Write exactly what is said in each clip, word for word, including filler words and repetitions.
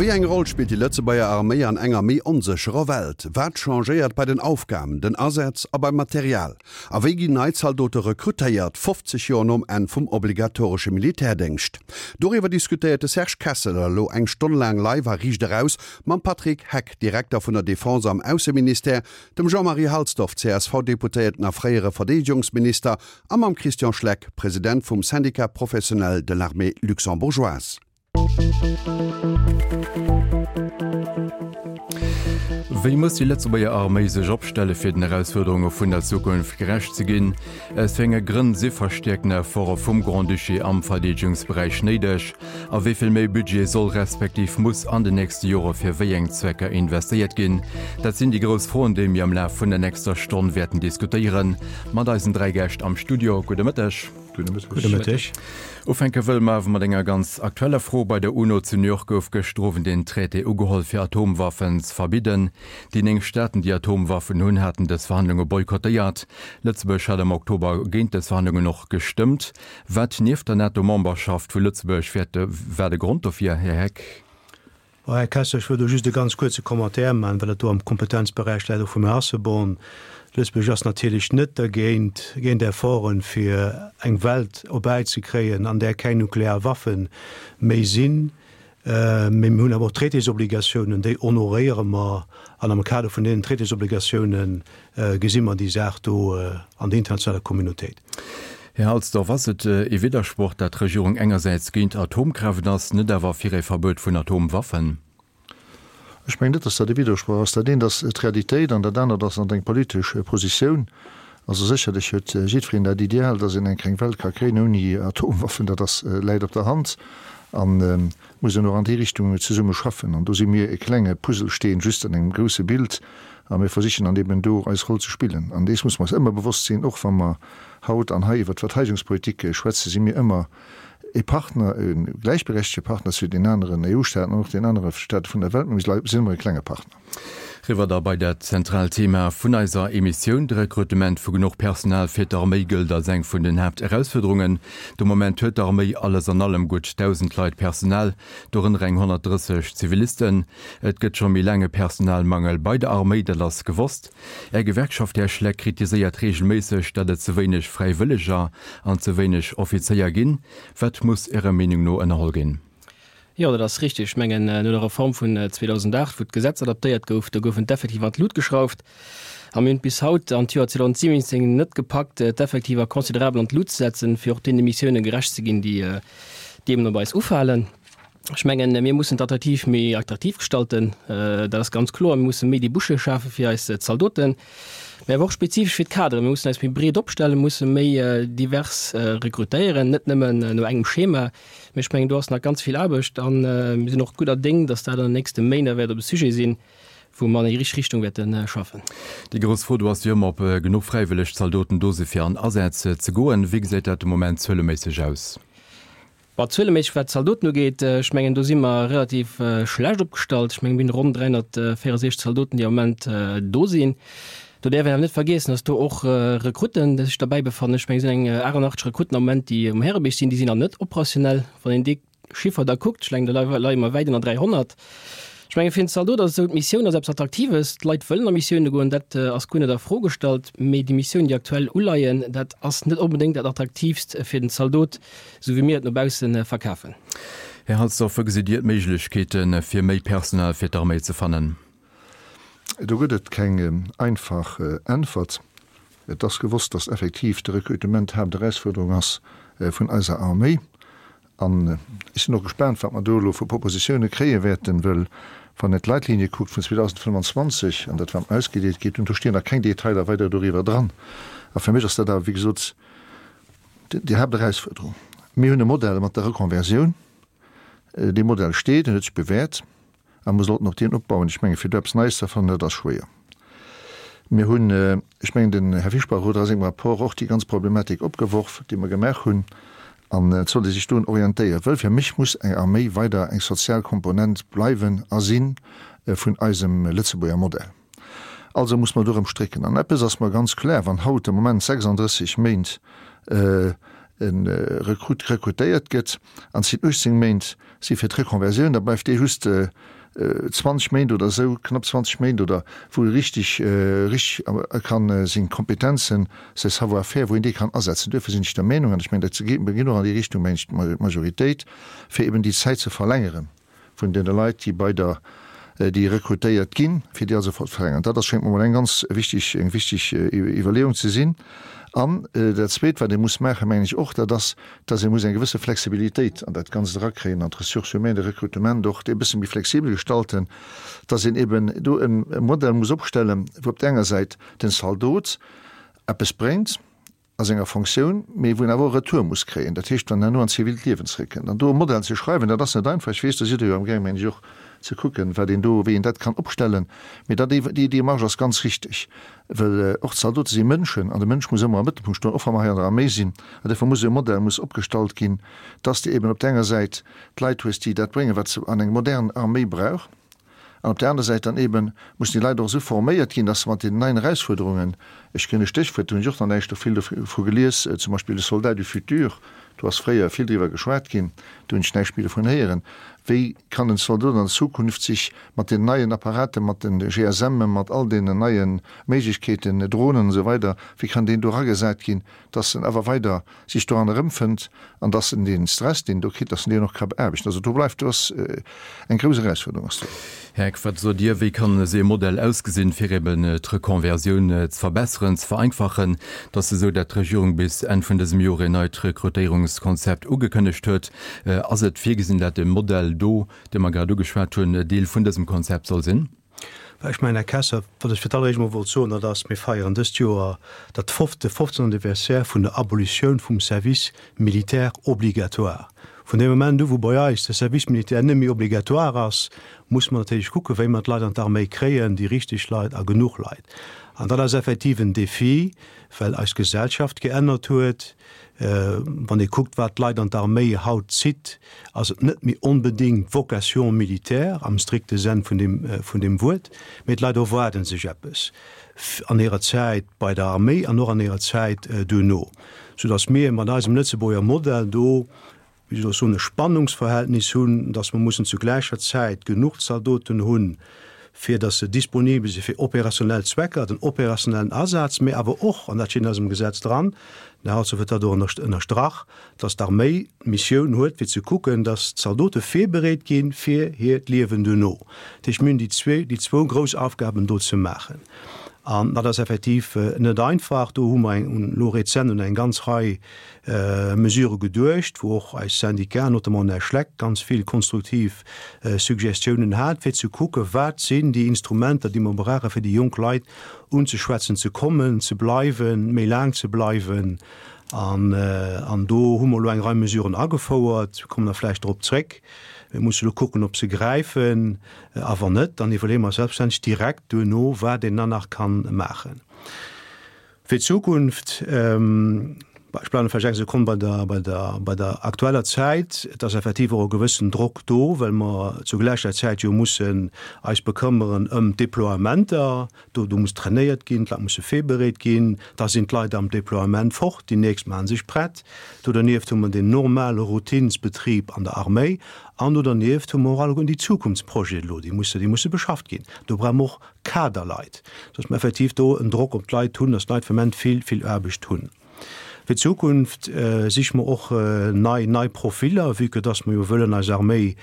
Wéi eng Roll spillt déi Lëtzebuerger Arméi an enger méi onsécherer Welt? Wat changéiert bei den Aufgaben, den Asätz a beim Material? A wéi ginn nei Zaldote rekrutéiert, fofzeg Joer nom Enn vum obligatoresche Militärdéngscht? Doriwwer diskutéiert de Serge Kesseler elo eng Stonn laang live a Riicht Eraus mam Patrick Heck, Direkter vun der Defense am Ausseministère, dem Jean-Marie Halsdorf, C S V-Deputéierten a fréiere Verdeedegungsminister, a mam Christian Schleck, President vum Syndicat professionnel de l'armée luxembourgeoise. Wéi muss déi Lëtzebuerger Arméi sech opstelle fir den Erausfuerderunge vun der Zukunft gerecht ze ginn? Aus wéi enge Grënn si verstäerkten Efforte vum Grand-Duché am Verdeedegungsberäich néideg? A wéi vill méi Budget soll respektiv muss an den nächste Jore fir wéi eng Zwecker investéiert ginn? Dat sinn déi grouss Froen, déi mir am Laf vun der nächster Stonn wäerten diskutéieren mat eisen dräi Gäscht am Studio. Gudde Mëtteg. Gudde Mëtteg. Ufänke wëlle mer awer mat enger ganz aktueller Fro. Bei der UNO zu New York gouf gëschter Owend een Traité ugeholl fir Atomwaffen ze verbidden. Déi néng Staaten, déi Atomwaffen hunn, haten dës Verhandlunge boykottéiert. Lëtzebuerg hat am Oktober géint dës Verhandlungen och gestëmmt. Wat nieft der NATO-Memberschaft vu Lëtzebuerg wäert war de Grond dofir, Här Heck? Här Kessler, ech wëll do just e ganz kuerze Commentaire maachen, well et do am Kompetenzberäich läit och vum Här Asselborn. Lëtzebuerg ass natierlech net dergéint, géint Efforten, fir eng Welt op d'Bäi ze kréien, an där keng nuklear Waffe méi sinn. Mee mir hunn awer och Traitésobligatiounen, déi honoréiere mer, an am Kader vun deenen Traitésobligatiounen gesi mer déi Saach do an der internationaler Communautéit. Här Halsdorf, ass et e Widdersproch, datt d'Regierung engersäits géint Atomkraaft ass, net awer fir e Verbuet vun Atomwaffen? Ech mengen net, datt dat e Widdersproch ass. Dat eent ass d'Realitéit an dat anert ass an eng politesch Positioun. Also sécherlech huet jiddwereen dat Ideal, datt een eng kleng Welt ka kréien ouni Atomwaffen. Dat ass läit op der Hand an muss een och an déi Richtung zesumme schaffen. An do si mir e klenge Puzzlesteen just an engem grousse Bild a mir versichen dann eben do eis Roll ze spillen. An dees muss mer eis ëmmer bewosst sinn, och wa mer haut an hei iwwer d'Verteidigungspolitik schwätzen, si mir ëmmer e Partner, e gläichberechtegte Partner zu den aneren E U-Staaten an och den anere Staate vun der Welt, mä mir sinn ëmmer e klenge Partner. Riwwer da bei dat zentraalt Thema vun eiser Emissioun, de Rekrutement vu genuch Personal fir d'Arméi gëllt als eng vun den Haapterausfuerderungen. De Moment huet d'Arméi alles an allem gutt dausend Leit Personal, dorënner eng honnertdrësseg Zivilisten. Et gëtt scho méi laang e Personalmangel bei der Arméi, dat ass gewosst. Är Gewerkschaft, Här Schleck, kritiséiert reegelméisseg, datt et ze wéineg Fräiwëlleger an ze wéineg Offizéier ginn. Wat muss Ärer Meenung no ënnerholl ginn? Jo, dat ass richteg. Ech mengen, no der Reform vun zweedausendacht, wou d'Gesetz adaptéiert gouf, do goufen d'Effektiver an d'Lut geschrauft. A mir hunn et bis haut, an d'Joer zweedausendsiwwenzéng, net gepackt, d'Effektiver considerabel an d'Lut ze setzen, fir och deene Missioune gerecht ze ginn, déi déi eben op eis ufalen. Ech mengen, mir mussen d'attraktiv méi attraktiv gestalten, dat ass ganz kloer. Mir musse méi Débouchés schafe fir eis Zaldoten, mä awer och spezifesch fir d'Kaderen. Mir mussen eis méi breet opstellen, musse méi divers rekrutéieren, net nëmmen no engem Schema. Mä ech mengen, do ass nach ganz vill Aarbecht a mir sinn och gudder Déng, datt dat an den nächste Méint wäert op e Sujet sinn, wou mer an déi richteg Richtung wäerte schaffen. Déi grouss Fro do ass jo ëmmer, ob genuch fräiwëlleg Zaldoten do si fir an Asätz ze goen. Wéi gesäit dat de Moment zueleméisseg aus? Bon, zueleméisseg wat d'Zaldoten ugeet, ech mengen do si mer relativ schlecht opgestallt. Ech mengen mir hunn ronn dräihonnertvéierundsechzeg Zaldoten, déi am Moment do sinn. Do däerf een awer net vergiessen, datt do och Rekrutten sech derbäi befannen. Ech mengen et sinn eng achtundachtzeg Rekrutten am Moment, déi um Härebierg sinn, déi sinn nach net operationell. Wann een dee Chiffer da kuckt, ech mengen do leie mer wäit ënner dräihonnert. Ech menge fir en Zaldot ass et esou, d'Missioun ass eppes Attraktives, d'Leit wëllen a Missioune goen, dat ass guer net a Fro gestallt, mee déi Missiounen, déi aktuell uleien, dat ass net onbedéngt dat Attraktiivst fir den Zaldot, esou wéi mir et no bausse verkafen. Här Halsdorf, wou gesitt Dir d'Méiglechkeete fir méi Personal fir d'Arméi ze fannen? Do gëtt et keng einfach Äntwert. Et ass gewosst, datt effektiv de Rekrutement d'Haapterausfuerderung ass vun eiser Arméi. An ech sinn och gespaant, wat mer do elo vu Propositioune kréie wäerten, wëll wann een d'Leitlinie kuckt vun zweedausendfënnwanzwanzeg an dat wat mer ausgedeelt kritt hunn, do stinn nach keng Detailer weider doriwwer dran. A fir mech ass dat awer, wéi gesot, déi Haapterausfuerderung. Mir hunn e Modell mat der Reconversioun. Dee Modell steet, en huet sech bewäert a mer sollten op deen opbauen. Ech menge fir do eppes Neies ze erfannen, dat ass schwéier. Mir hunn, ech mengen den Här Fischbach huet a sengem Rapport och déi ganz Problematik opgeworf, déi mer gemaach hunn, an et sollt ee sech dorun orientéieren, wëll fir mech muss eng Arméi weider eng sozial Komponent bleiwen a si vun eisem Lëtzebuerger Modell. Also muss mer do erëm strécken. An eppes ass mer ganz kloer, Wann haut de Moment sechsandrësseg Méint e Rekrut rekrutéiert gëtt an et sinn uechtzéng Méint si fir d'Reconversioun, da bleift dee just zwanzeg Méint oder esou, knapp zwanzeg Méint oder wou e richtig, richtig kann seng Kompetenzen, säi Savoir-faire, wou een dee kann asetzen. Duerfir sinn ech der Meenung, an ech mengen, dat geet och an déi Richtung, mengen ech, d'Majoritéit, fir eben déi Zäit ze verlängeren vun deene Leit, déi bei der, déi rekrutéiert ginn, fir déi also ze verlängeren. Dat ass, schéngt mer emol eng ganz wichtig, eng wichtig Iwwerleeung ze sinn. An dat Zweet, wat ee muss maachen, mengen ech och, dat ass, dass ee muss eng gewësse Flexibilitéit an dat Ganzt erakréien, an d'Ressources humaines, de Rekrutement och e bësse méi flexibel gestalten, dass een eben do e Modell muss opstellen, wou op där enger Säit den Zaldot eppes bréngt a senger Fonctioun, mee wou en awer och e Retour muss kréien, dat heescht, wann en herno an d'zivilt Liewen zréckkënnt. An do e Modell ze schreiwen, dat ass net einfach. Ech weess, do sidd Der jo amgaang, mengen ech, och ze kucken, wat een do, wéi een dat kann opstellen. Mee dat, déi Démarche ass ganz richtig, well och d'Zaldote si Mënschen an de Mënsch muss ëmmer am Mëttelpunkt stoen, och wa mer hei an der Arméi sinn. An duerfir muss e Modell muss opgestallt ginn, dass de eben op där enger Säit d'Leit hues, déi dat bréngen, wat se an eng modern Arméi brauch, an op där aner Säit dann eben mussen déi Leit och esou forméiert ginn, dass se mat deenen neien Erausfuerderungen, ech ginn e Stéchwuert, do hunn ech och nach näischt do vill dovu gelies, zum Beispill de Soldat du futur, do ass fréier vill driwwer geschwat ginn, do hunn ech näischt méi dovun héieren, wéi kann en Zaldot an Zukunft sech mat den neien Apparaten, mat den G S Mme, mat all deenen neie Méiglechkeeten, Dronen an esou weider, wéi kann deen do eragesat ginn, dass en awer weider sech doran erëmfënnt an dass en dee Stress, deen en do kritt, dass en deen och ka beaarbechten. Also do bleift, do ass eng grouss Erausfuerderung ass do. Här Eck, wat sot Dir, wéi kann esou ee Modell ausgesinn, fir eben d'Reconversioun ze verbesseren, ze vereinfachen, dass esou dat d'Regierung bis Enn vun dësem Joer een neit Rekrutéierungskonzept ugekënnegt huet? Ass et virgesinn, dat de Modell do, dee mer grad ugeschwat hunn, Deel vun dësem Konzept soll sinn? Ech mengen, Här Kessler, wat ech fir d'alleréischt emol wollt soen, dat ass, mir feieren dëst Joer dat de fofzéngten Anniversaire vun der Abolitioun vum Service militaire obligatoire. Vun deem Moment u wou bei eis de Service militaire net méi obligatoire ass, muss mer natierlech kucken, wéi mer d'Leit an d'Arméi kréien, déi richteg Leit a genuch Leit. An dat ass effektiv en Défi, well eis Gesellschaft geännert huet. Wann ee kuckt, wat d'Leit an d'Arméi haut zitt, ass et net méi onbedéngt d'Vocation militaire am strikte Senn vun deem, vun deem Wuert, mee d'Leit erwaarde sech eppes an hirer Zäit bei der Arméi an och an hirer Zäit duerno, soudass mir mat eisem Lëtzebuerger Modell do, wéi soll ech soen, e Spannungsverhältnis hunn, dass mer mussen zu gläicher Zäit genuch Zaldoten hunn, fir dass se disponibel si fir operationell Zwecker, den operationellen Asaz, mä awer och, an dat steet in eisem Gesetz dran, den Här Herzog huet dat och ënnerstrach, dass d'Arméi d'Missioun huet, fir ze kucken, dass d'Zaldote virbereet gi fir hiert Liewen duerno. Dat heescht, mir hunn déi zwee, déi zwou grouss Aufgaben do ze maachen. An dat ass effektiv net einfach. Do hu mer elo rezent un eng ganz Rei Mesurë geduecht, wou och eis Syndicat, notamment den Här Schleck, ganz vill konstruktiv Suggestiounen hat, fir ze kucken, wat sinn déi Instrumenter, déi mer brauchen, fir déi jonk Leit unzeschwätzen, ze kommen, ze bleiwen, méi laang ze bleiwen. An do hu mer elo eng Rei Mesuren agefouert. Mir kommen da vläicht drop zréck. Mir musse elo kucken, ob se gräifen. A wann net, dann iwwerleeë mer selbstverständlech direkt duerno, wat een dann nach ka maachen. Fir d'Zukunft, ech bleiwen vläicht eng Sekonn bei der, bei der, bei der aktueller Zäit, et ass effektiv och e gewëssen Drock do, well mer zu gläicher Zäit jo mussen eis bekëmmeren ëm d'Déploiementer. Do, do muss trainéiert ginn, d'Leit musse virbereet ginn, da sinn d'Leit am Déploiement fort, déi nächst maache sech prett. Do dernieft hu mer den normale Routinsbetrib an der Arméi an do dernieft hu mer och alleguerten déi Zukunftsprojeten elo, déi musse, déi musse beschafft ginn. Do brauche mer och Kaderleit, dass mer effektiv do en Drock op d'Leit hunn, dass d'Leit vum Moment vill, vill Aarbecht hunn. Fir d'Zukunft siche mer och nei nei Profiller, vue que dass mer jo wëllen eis Arméi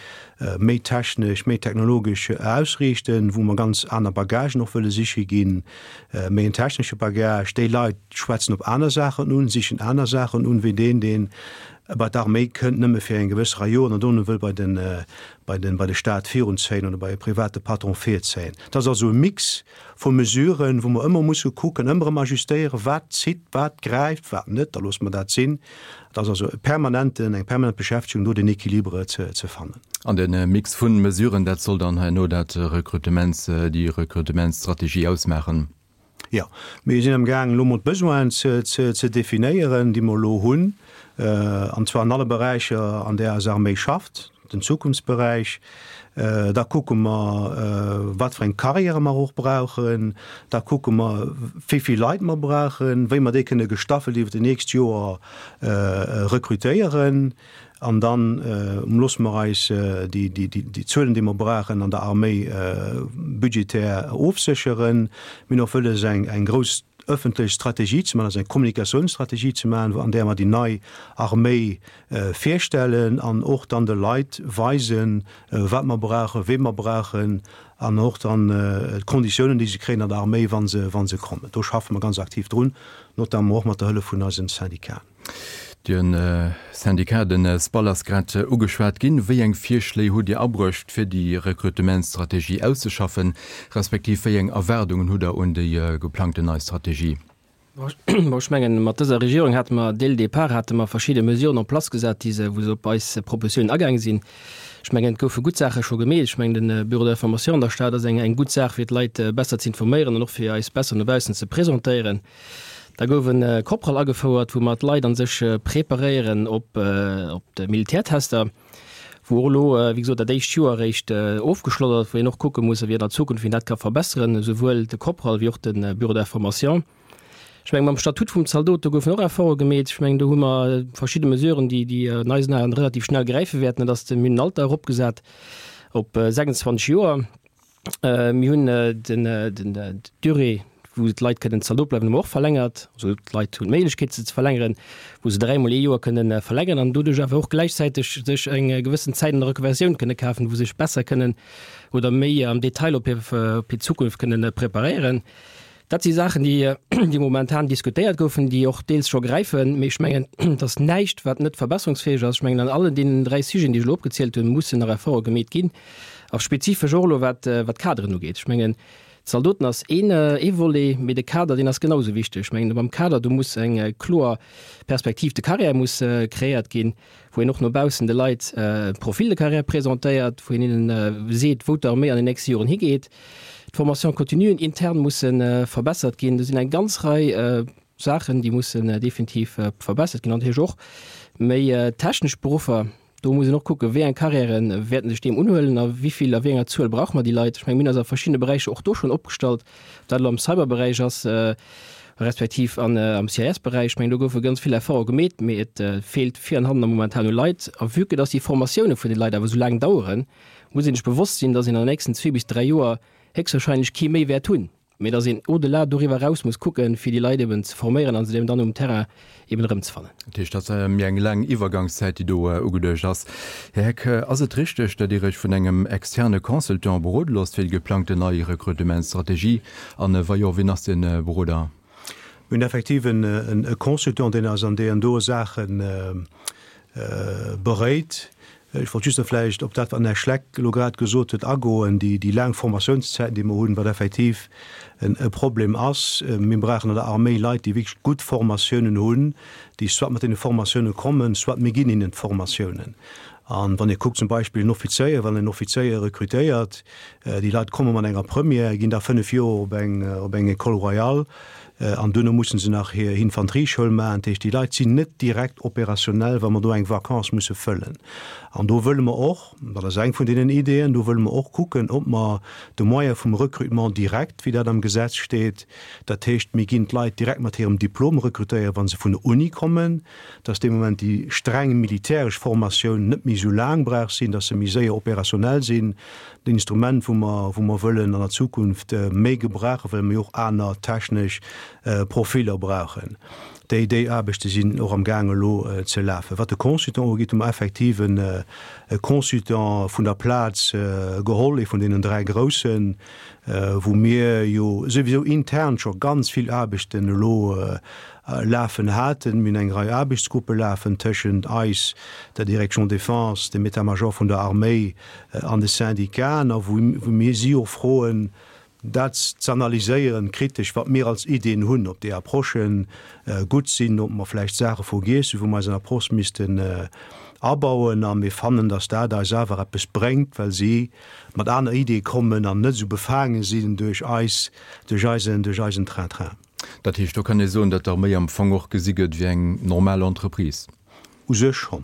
méi technesch, méi technologesch ausriichten, wou mer ganz aner Bagagen och wëlle siche ginn, méi en technesche Bagage. Déi Leit schwätzen op aner Saachen un, sichen aner Saachen un, wéi deen, deen bei d'Arméi kënnt nëmme fir eng gewëss Rei Joren an dono wëll bei den, bei den, bei de Stat virunzéien oder bei e private Patron virzéien. Dat ass also e Mix vu Mesuren, wou mer ëmmer musse kucken, ëmmer erëm ajustéieren, wat zitt, wat gräift, wat net, da loosse mer dat sinn. Et ass also e permanenten, eng permanent Beschäftegung, do den Équilibre ze, ze fannen. An de Mix vu Mesuren, dat soll dann herno dat Rekrutements, déi Rekrutementsstrategie ausmaachen? Jo, mir sinn amgaangen, elo emol d'Besoinen ze, ze, ze definéieren, déi mer elo hunn, an zwar an alle Beräicher, an där eis Arméi schafft. den Zukunftsberäich. Da kucke mer, wat fir eng Karriäre mer och brauchen. Da kucke mer, wéi vill Leit mer brauchen, wéi mer déi kënne gestaffelt iwwer déi nächst Joer rekrutéieren. An dann loosse mer eis déi Zuelen, déi mer brauchen an der Arméi, budgetär ofsécheren. Mir hunn och wëlles, eng grouss ëffentlech Strategie ze maachen, also eng Kommunikatiounsstrategie ze maachen, an där mer déi nei Arméi virstellen an och dann de Leit weisen, wat mer brauchen, wee mer brauchen an och dann d'Konditiounen, déi se kréien an der Arméi, wa se, wa se kommen. Do schaffe mer ganz aktiv drun, notamment och mat der Hëllef vun eisen Syndicaten. De Syndicat, den SPAL, ass grad ugeschwat ginn. Wéi eng Virschléi hutt Dir abruecht, fir déi Rekrutementsstrategie auszeschaffen, respektiv wéi eng Erwaardungen hutt Der un déi geplangten nei Strategie? Bon, ech mengen, mat dëser Regierung hate mer dès le départ hate mer verschidde Mesuren en place gesat, déi se, wou se op eis Propositionen agaange sinn. Ech mengen, et goufe gutt Saache scho gemeet. Ech mengen, de Bureau d'information an der Stad ass eng, eng gutt Saach, fir d'Leit besser ze informéieren an och fir eis besser no baussen ze presentéieren. Da gouf en Corporal agefouert, wou mer d'Leit a sech preparéieren op op de Militärtester, wou och elo, wéi gesot, dat éischt Joer eréischt ofgeschloss ass, wou een och kucke muss, wéi an der Zukunft een dat ka verbesseren, esouwuel de Corporal wéi och de Bureau d'information. Ech mengen, mam Statut vum Zaldot, do goufen och Efforte gemeet. Ech mengen, do hu mer verschidde Mesuren, déi déi an eisen Aen relativ schnell gräife wäerten. Dat ass de, mir hunn den Alter eropgesat op sechsundzwanzeg Joer. Mir hunn den, den, d'Durée, wou d'Leit kënnen Zaldot bleiwen, hu mer och verlängert. Also d'Leit hunn d'Méiglechkeet, se ze verlängeren, wou se dräimol ee Joer kënnen verlängeren an doduerch awer och gläichzäiteg sech eng gewëssen Zäit an der Reconversioun kënne kafen, wou se sech besser kënnen oder méi am Detail op hir, op hir Zukunft kënnen preparéieren. Dat si Saachen, déi, déi momentan diskutéiert goufen, déi och deels scho gräifen. Mee ech mengen, et ass näischt, wat net verbesserungsfäeg ass. Ech mengen, an allen deenen dräi Sujeten, déi ech elo opgezielt hunn, mussen nach Efforte gemeet ginn. A spezifesch och elo, wat, wat d'Kaderen ugeet. Ech mengen, d'Zaldoten ass een, ee Volet, mee de Kader, deen ass genau esou wichteg. Ech mengen, beim Kader, do muss eng kloer Perspektiv de carrière muss kreéiert ginn, wou een och no baussen de Leit e Profil de carrière presentéiert, wou een hinnen seet, wou d'Arméi an den nächste Joren higeet. D'Formation continuen intern musse verbessert ginn. Do sinn eng ganz Rei Saachen, déi mussen definitiv verbessert ginn. An natierlech och méi technesch Beruffer. Do muss een och kucken, wéi eng Carrièrë wäerten sech deem unhuelen a wéi vill, a wéi enger Zuel brauche mer déi Leit. Ech mengen, mir hunn eis a verschiddene Beräicher och do schonn opgestallt, ob dat elo am Cyberberäich ass, respektiv an am C I S-Beräich. Ech mengen, do goufe ganz vill Efforte gemeet, mee et feelt vir an hannen momentan u Leit. A vue que dass déi Formatioune vun de Leit awer esou laang daueren, muss een sech bewosst sinn, dass een an den nächsten zwee bis dräi Joer héchstwahrscheinlech kee méi wäert hunn, mee dass een au-delà doriwwer eraus muss kucken, fir déi Leit eben ze forméieren a se eben dann um Terrain eben erëmzefannen. Dat heescht, dat ass méi eng laang Iwwergangszäit, déi do ugeduecht ass. Här Heck, ass et richteg, datt Dir Iech vun engem externe Consultant berode loosst fir déi geplangten nei Rekrutementsstrategie? An wa jo, wien ass dee Beroder? Mir hunn effektiv e Consultant, deen eis an deenen doe Saache beréit. Ech wollt just nach vläicht op dat, wat den Här Schleck elo grad gesot huet, agoen, déi, déi laang Formatiounszäiten, déi mer hunn, wat effektiv e Problem ass. Mir brauchen an der Arméi Leit, déi wierklech gutt Formatiounen hunn, déi soit mat deene Formatiounen kommen, soit mir ginn hinnen d'Formatiounen. A wann Dir kuckt zum Beispill en Offizéier, wann een en Offizéier rekrutéiert, déi Leit komme mat enger Première, ginn da fënnef Joer op eng, op eng École royale, An duerno musse se nach hir Infanterieschoul maachen. Dat heescht, déi Leit sinn net direkt opérationnel, wa mer do eng Vacance musse fëllen. An do wëlle mer och, dat ass eng vun deenen Ideeën, do wëlle mer och kucken, ob mer de Moyen vum Recrutement direct, wéi dat am Gesetz steet, dat heescht, mir ginn d'Leit direkt mat hirem Diplom rekrutéieren, wa se vun der Uni kommen, dass dee Moment déi streng militäresch Formatioun net méi esou laang brauch sinn, dass se méi séier opérationnel sinn. En Instrument, wou mer, wou mer wëllen an der Zukunft méi gebrauchen, well mir och aner technesch Profiller brauchen. Déi, déi Aarbechte sinn och am gaang elo ze lafen. Wat de Consultant ugeet, hu mer effektiv e Consultant vun der Plaz geholl, ee vun deenen dräi groussen, wou mir jo souwisou intern scho ganz vill Aarbechten elo lafen haten. Mir hunn eng Rei Aarbechtsgruppe lafen tëschent eis, der Direction Défense, dem État-major vun der Arméi an de Syndicaten, a wou mir si och froen, dat z'analyséieren, kritesch, wat mir als Iddien hunn, ob déi Approchen gutt sinn, ob mer vläicht Saache vergiess hunn, wou mer eis an Approche missten abauen. A mir fannen, datt dat eis awer eppes bréngt, well si mat aner Iddie kommen an net esou befaange sinn duerch eis, duerch eisen, duerch eisen Train-train. Dat heescht, do kann ee soen, datt d'Arméi am Fong och gesi gëtt wéi eng normal Entreprise? U sech schonn.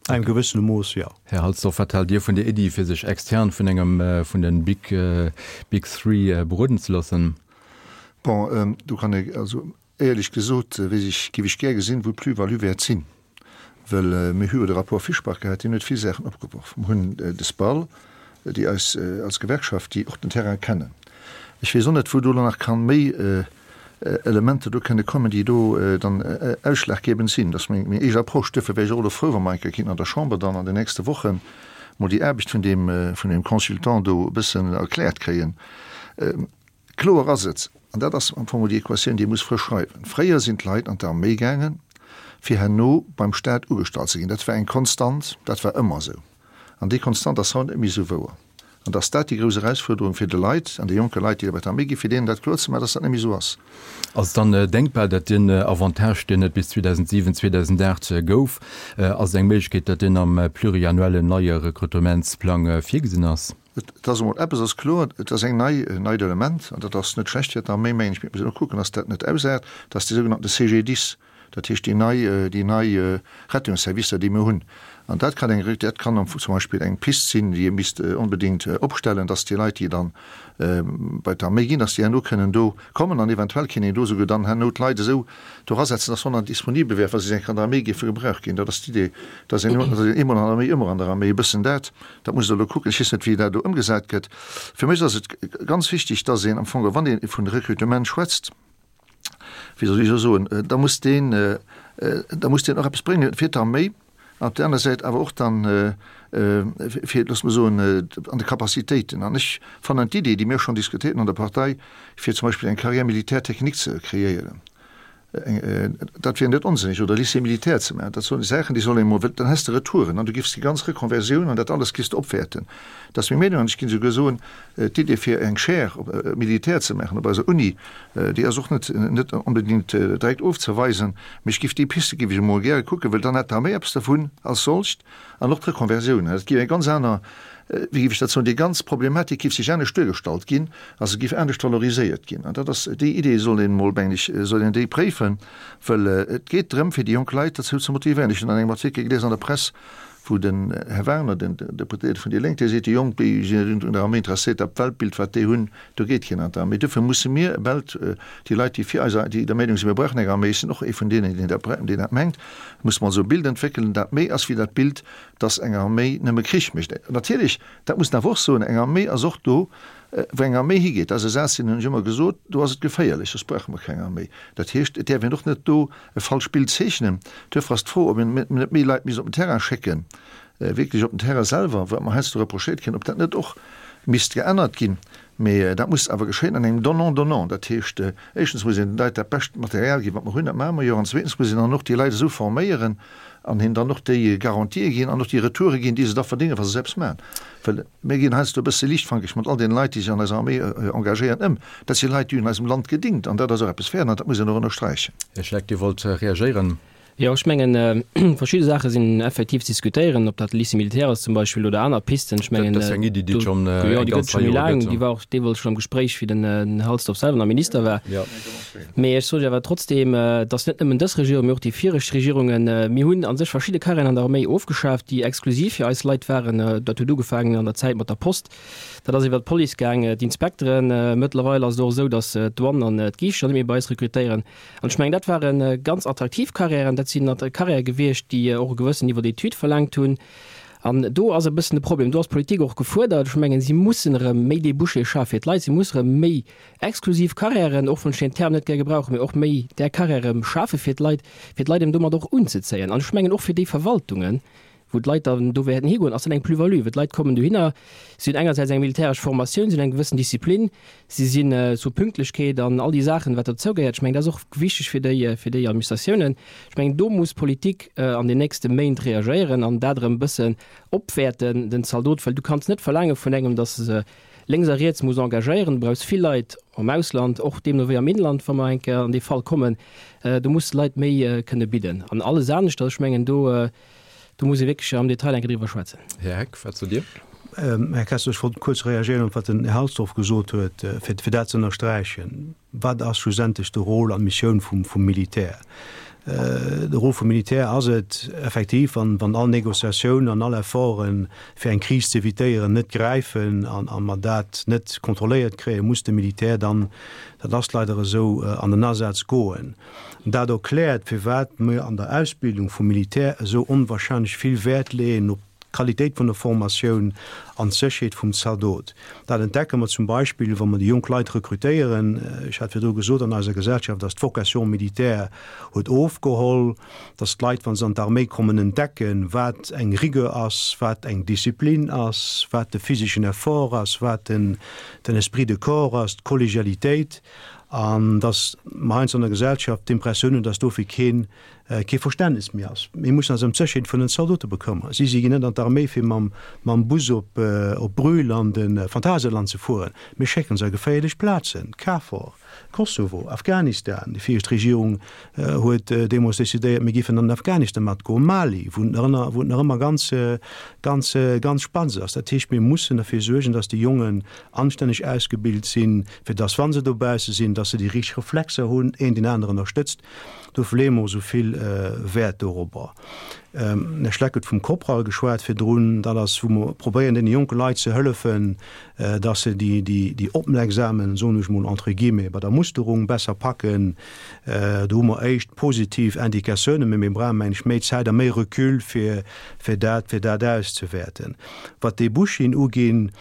Engem gewëssene Mooss, jo. Här Halsdorf, wat haalt Dir vun der Iddi, fir sech extern vun engem vun den Big, Big Three beroden ze loossen? Bon, do kann ee, also éierlech gesot, weess ech, géif ech gär gesinn, wou d'Plus-value wäert sinn. Well mir hu jo de Rapport Fischbach gehat, deen huet vill Saachen opgeworf. Mir hunn de SPAL, déi eis als Gewerkschaft, déi och den Terrain kennen. Ech weess och net, wou do elo nach kann méi Elementer do kënne kommen, déi do dann ausschlaggebend sinn. Dat ass meng eege Approche. Duerfir wär ech och elo frou, wa mer eng Kéier kéinten an der Chamber dann an den nächste Wochen mol déi Aarbecht vun deem, vun deem Consultant do e bëssen erkläert kréien. Kloer ass et, an dat ass am Fong déi Equatioun, déi ee muss frësch schreiwen, Fréier sinn d'Leit an d'Arméi gaangen, fir herno beim Stat ugestallt ze ginn. Dat war eng Konstant, dat war ëmmer esou. An déi Konstant ass haut net méi esou wouer. An dass dat déi grouss Erausfuerderung fir de Leit an de jonke Leit, déi bei d'Arméi ginn, fir deenen dat kloer ze maachen, dass dat net méi esou ass. Ass et dann denkbar, datt deen Avantage, deen et bis zweedausentsiwen, zweedausenaacht gouf, ass et eng Méiglechkeet, datt deen am pluriannuellen neie Rekrutementsplang virgesinn ass? Et ass emol eppes ass kloer, et ass eng nei, en neit Element, an dat ass net schlecht fir d'Arméi, mengen ech, mee et muss een och kucken, dass dat net ausaart, dat ass dee sougenannte C G D I S, dat heescht déi nei, déi nei Rettungsservicer, déi mir hunn. An dat kann eng, dat kann zum Beispill eng Pist sinn, déi ee misst onbedéngt opstellen, dass déi Leit, déi dann bei d'Arméi ginn, dass déi herno kënnen do kommen an eventuell kéint een do souguer dann herno d'Leit esou dorasetzen, dass wann dann disponibel wär, wa si eng Kéier an der Arméi géife gebraucht ginn. Dat ass d'Idee, dass een eemol an der Arméi, ëmmer an der Arméi, e bëssen dat. Dat muss Der elo kucken. Ech weess net, wéi dat do ëmgesat gëtt. Fir mech ass et ganz wichtig, dass een am Fong, wann ee vun Rekrutement schwätzt, wéi soll ech elo soen, da muss deen, da muss deen och eppes bréngen fir d'Arméi an op där aner Säit awer och dann fir, loosse mer soen, an de Capacitéiten. An ech fannen d'Idee, déi mir schonn diskutéiert hunn an der Partei, fir zum Beispill eng Carrière militaire technique ze kreéieren, dat wier net onsënneg, oder Lycée militaire ze maachen, dat solle Saachen, déi soll een emol, dann häss de Retouren an du giffs déi ganz Reconversioun an dat alles giffs de opwäerten. Dat ass meng Meenung an ech ginn esouguer soen, d'Idee fir eng Chaire militaire ze maachen op eiser Uni, déi ass och net net onbedéngt direkt ofzeweisen, mee ech giff déi Piste giff ech emol gäre kucken, well dann hätt d'Arméi eppes dervun als solcht an och d'Reconversioun. Dat giff eng ganz aner, wéi giff ech dat soen, déi ganz Problematik giff sech anescht duergestallt ginn a se giff anescht valoriséiert ginn. An dat ass, déi Idee soll een emol, mengen ech, soll een déi préifen, well et geet drëm fir déi jonk Leit derzou ze motivéieren. Ech hunn an engem Artikel gelies an der Press, wou den Här Werner, den Deputéierte vun déi Lénk, dee seet, déi Jonk, déi sinn net un der Arméi interesséiert, dat Weltbild, wat déi hunn, do geet keen an d'Arméi. Duerfir musse mir Welt, déi Leit, déi fir eis, déi der Meenung sinn, mir brauchen eng Arméi, ech sinn och ee vun deenen, deen dat, deen dat mengt, musse mer also e Bild entwéckelen, dat méi ass wéi dat Bild, dass eng Arméi nëmme Krich mécht. Natierlech, dat muss een awer och soen, eng Arméi ass och do, wou eng Arméi higeet, dat ass e Saz, deen hunn ech ëmmer gesot, do ass et geféierlech, soss brauche mer keng Arméi. Dat heescht, et däerf een och net do e falscht Bild zeechnen. Duerfir ass d'Fro, ob een net méi Leit misst op den Terrain schécken, wierklech op den Terrain selwer, wat mer heiansdo reprochéiert kréien, ob dat net och misst geännert ginn. Mee dat muss awer geschéien an engem Donnant-donnant. Dat heescht, éischtens muss een den Leit dat bescht Material ginn, wat mer hunn, dat maache mer jo, an zweetens muss een dann och déi Leit esou forméieren an hinnen dann och déi Garantië ginn an och déi Retoure ginn, déi se da verdéngen, wa se se eppes maachen. Well mir ginn heiansdo e bësse liichtfankeg mat all deene Leit, déi sech an eiser Arméi engagéieren, ëm. Dat si Leit, déi hunn eisem Land gedingt an dat ass och eppes wäert an dat muss een och ënnersträichen. Här Schleck, Dir wollt reagéieren. Jo, ech mengen, verschidde Saache sinn effektiv ze diskutéieren, ob dat de Lycée militaire ass zum Beispill oder aner Pisten. Ech mengen, Dat ass jo eng Iddi, déi et schonn jo, eng déi gëtt ganz scho Rei méi Jore laang. gëtt. Déi war och deemools schonn am Gespréich, wéi den Halsdorf selwer nach Minister war. Jo. Mee ech sot jo awer trotzdeem, dass net nëmmen dës Regierung, mee och déi viregt Regierungen, mir hunn a sech verschidde Carrièren an der Arméi ofgeschaaft, déi exklusiv fir eis Leit waren. Dat huet ugefaangen an der Zäit mat der Post, dat ass iwwert d'Police gaang, d'Inspekteren. Mëttlerweil ass et och esou, dass d'Douane an d'Giischter net méi bei eis rekrutéieren. An ech mengen, dat ware ganz attraktiv Carrièren. Dat sinn Carrièrë gewiescht, déi och e gewëssen Niveau d'études verlaangt hunn. An do ass e bëssen de Problem. Do ass d'Politik och gefuerdert. Ech mengen, si mussen erëm méi Débouchés schafe fir d'Leit. Si mussen erëm méi exklusiv Carrièren, och wann ech deen Term net gär gebrauchen, mee och méi där Carrièrë schafe fir d'Leit, fir d'Leit eben domat och unzezéien. An ech mengen och fir déi Verwaltungen, wou d'Leit dann do wäerten higoen, ass dat eng Plus-value, well d'Leit kommen dohinner, si hunn engersäits eng militäresch Formatioun, si hunn eng gewëssen Disziplin, si sinn zur Pünktlechkeet an all déi Saachen, wat dozou gehéiert. Ech mengen, dat ass och wichteg fir déi, fir déi Administratiounen. Ech mengen, do muss d'Politik an den nächste Méint reagéieren an dat erëm e bëssen opwäerten, den Zaldot, well du kanns net verlaange vun engem, dass e se lénks a riets muss engagéieren. Du brauchs vill Leit am Ausland, och deemno wéi am Inland, wa mer eng Kéier an dee Fall kommen. Do muss de Leit méi kënne bidden. An alles anescht, also ech mengen, do, Do muss ee wierklech am Detail eng Kéier driwwer schwätzen. Här Heck, wat sot Dir? Här Kessler, ech wollt kuerz reagéieren op wat den Här Halsdorf gesot huet, fir, fir dat ze ënnersträichen. Wat ass schlussendlech de Rôle an d'Missioun vum, vum Militär? De Rôle vum Militär ass et effektiv, wann wann all Négociatiounen an all Efforten, fir eng Kris ze evitéieren, net gräifen an a mer dat net kontrolléiert kréien, muss de Militär dann, dat ass leider esou, an den Asaz goen. Dat erkläert, firwat mir an der Ausbildung vum Militär esou onwahrscheinlech vill Wäert leeën op d'Qualitéit vun der Formatioun an d'Sécherheet vum Zaldot. Dat entdecke mer zum Beispill, wa mer déi jonk Leit rekrutéieren. Ech hat virdru gesot, an eiser Gesellschaft ass d'Vocation militaire huet ofgeholl, dass d'Leit, wa se an d'Arméi kommen, entdecken, wat eng Rigueur ass, wat eng Disziplin ass, wat de physeschen Effort ass, wat den Esprit de corps ass, d'Kollegialitéit, an dass mer heiansdo an der Gesellschaft d'Impressioun hunn, dass dofir keen kee Verständnis méi ass. Mir mussen eis ëm d'Sécherheet vun den Zaldote bekëmmeren. Si si ginn net an d'Arméi fir mam mam Bus op op Brühl an de Phantasialand ze fueren. Mir schécken se a geféierlech Plazen, KFOR, Kosovo, Afghanistan. Déi viregt Regierung huet deemools decidéiert, mir géifen an den Afghanistan matgoen, Mali, wou et nach ënner wou et nach ëmmer ganz ganz ganz spannend ass. Dat heescht, mir mussen derfir suergen, dass déi Jongen anstänneg ausgebilt sinn, fir dass, wa se dobausse sinn, dass se déi richteg Reflexer hunn, een deen aneren ënnerstëtzt. Dofir leeë mer esou vill Wäert dorobber. Den Här Schleck huet vum Kopral geschwat virdrun. Dat ass, wou mer probéieren, deene jonke Leit ze hëllefen, dass se déi, déi, déi Opmerksamen, soen ech mol entre guillemets, bei der Musterung besser packen. Do hu mer éischt positiv Indikatiounen, mä mir brauchen, meng ech, méi Zäit a méi Recul, fir, fir dat, fir dat auszewäerten. Wat d'Débouchén uginn,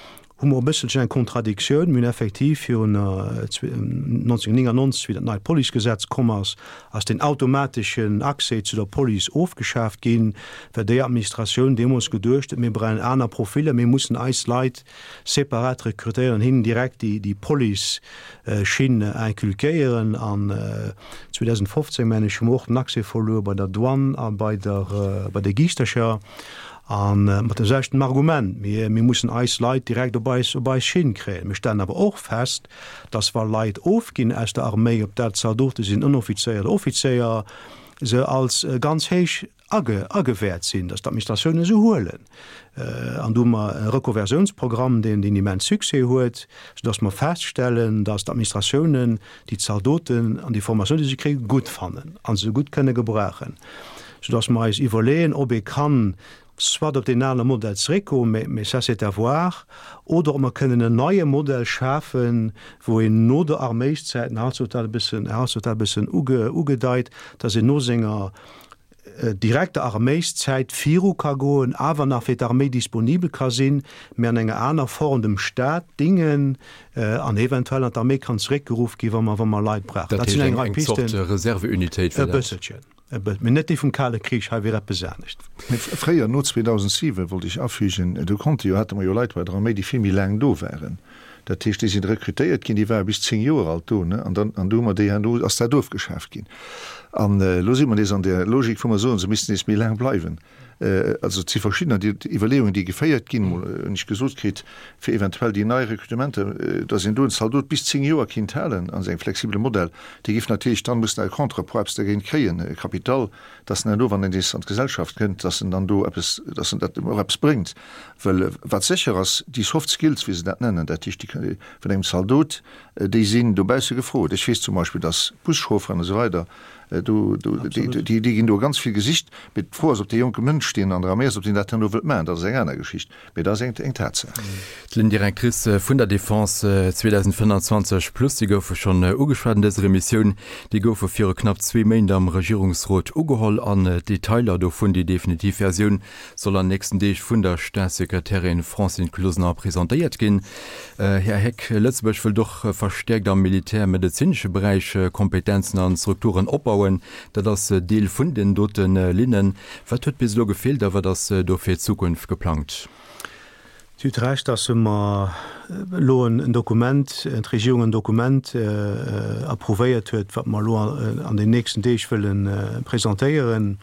hu mer e bësselchen eng Kontradiktioun. Mir hunn effektiv virun neunzehnhundertneunundneunzeg, wéi dat neit Policegesetz komm ass, ass deen automateschen Accès zu der Police ofgeschaaft ginn, well déi Administratioun deemools geduecht huet, mir brauchen aner Profiller, mir mussen eis Leit separat rekrutéieren an hinnen direkt déi Police-Schinn inculquéieren. An zweedausendfofzéng, mengen ech, hu mer och den Accès verluer bei der Douane a bei der Giischtercher. A mat dem selwechten Argument, mir, mir mussen eis Leit direkt op eis, op eis Schinn kréien. Mir stellen awer och fest, dass wa Leit ofginn aus der Arméi, ob dat Zaldote sinn, Ënneroffizéier oder Offizéier, se als ganz héich age, agewäert sinn, dass d'Administratiounen se huelen. An do hu mer e Rekonversiounsprogramm, deen, deen immens Succès huet, soudass mer feststellen, dass d'Administratiounen déi Zaldoten an déi Formatioun, déi se kréien, gutt fannen a se gutt kënne gebrauchen, soudass mer eis iwwerleeën, ob ee kann soit op deen ale Modell zeréckgoen, mais, mais ça c'est à voir, oder ob mer kënnen en neie Modell schafen, wou een no der Arméiszäit, den Här Hartz huet dat e bëssen, Här Hartz huet dat e bëssen uge, ugedeit, dass een no senger direkter Arméiszäit viru ka goen, awer nach fir d'Arméi disponibel ka sinn, mä an enger aner Form dem Stat dingen an eventuell an d'Arméi kann zeréckgeruff ginn, wa mer, wa mer Leit brauchen. Dat sinn eng Rei Pisten. Dat heescht eng Zort Reserveunitéit fir dat? E bësselchen. Mee net déi vum Kale Krich, hei wier eppes anescht. Mee fréier, no zweedausentsiwen, wollt ech afügen, do konnte jo, hate mer jo Leit bei der Arméi, déi vill méi laang do waren. Dat heescht, déi sinn rekrutéiert ginn, déi ware bis zéng Joer alt do, ne, an dann, an du hu mer déi herno, ass dat ofgeschaaft ginn. An elo si mer nees an där Logik, wou mer soen, se missten nees méi laang bleiwen. Also et si verschiddener déi Iwwerleeungen, déi geféiert ginn, mol hunn ech gesot kritt, fir eventuell déi nei Rekrutementer, datt een do en Zaldot bis zéng Joer kinnt halen an engem flexibele Modell. Dee géif natierlech dann mussen à contrepoids eppes dergéint kréien, e Kapital, datt en herno, wann en nees an d'Gesellschaft kënnt, datt en dann do eppes, datt en dat och eppes bréngt. Well wat sécher ass, déi soft skills, wéi se dat nennen, dat heescht déi vun engem Zaldot, déi sinn dobausse gefrot. Ech weess zum Beispill, datt Buschaufferen a sou weider, Do, do, déi, déi, déi ginn do ganz vill gesicht. Mee d'Fro ass, ob dee jonke Mënsch, deen an der Arméi ass, ob deen dat herno wëllt maachen. Dat ass eng aner Geschicht. Mee dat ass eng, eng Tatsaach. D'Ligne directrice vun der Defense zweedausendfënnanzwanzeg plus, déi goufe schonn ugeschwat an dëser Emissioun. Déi goufe viru knapp zwee Méint am Regierungsrot ugeholl an d'Detailer dovun, déi definitiv Versioun, soll an nächsten Deeg vun der Staatssekretärin Francine Closener presentéiert ginn. Här Heck, Lëtzebuerg wëllt och verstäerkt am militärmedezinesche Beräich Kompetenzen an Strukturen opbauen. Dat ass Deel vun den dote Linnen. Wat huet bis elo gefeelt a wat ass do fir d'Zukunft geplangt? Dir hutt Recht, dass mer elo en Dokument, d'Regierung en Dokument approuvéiert huet, wat mer elo an den nächsten Deeg wëlle presentéieren.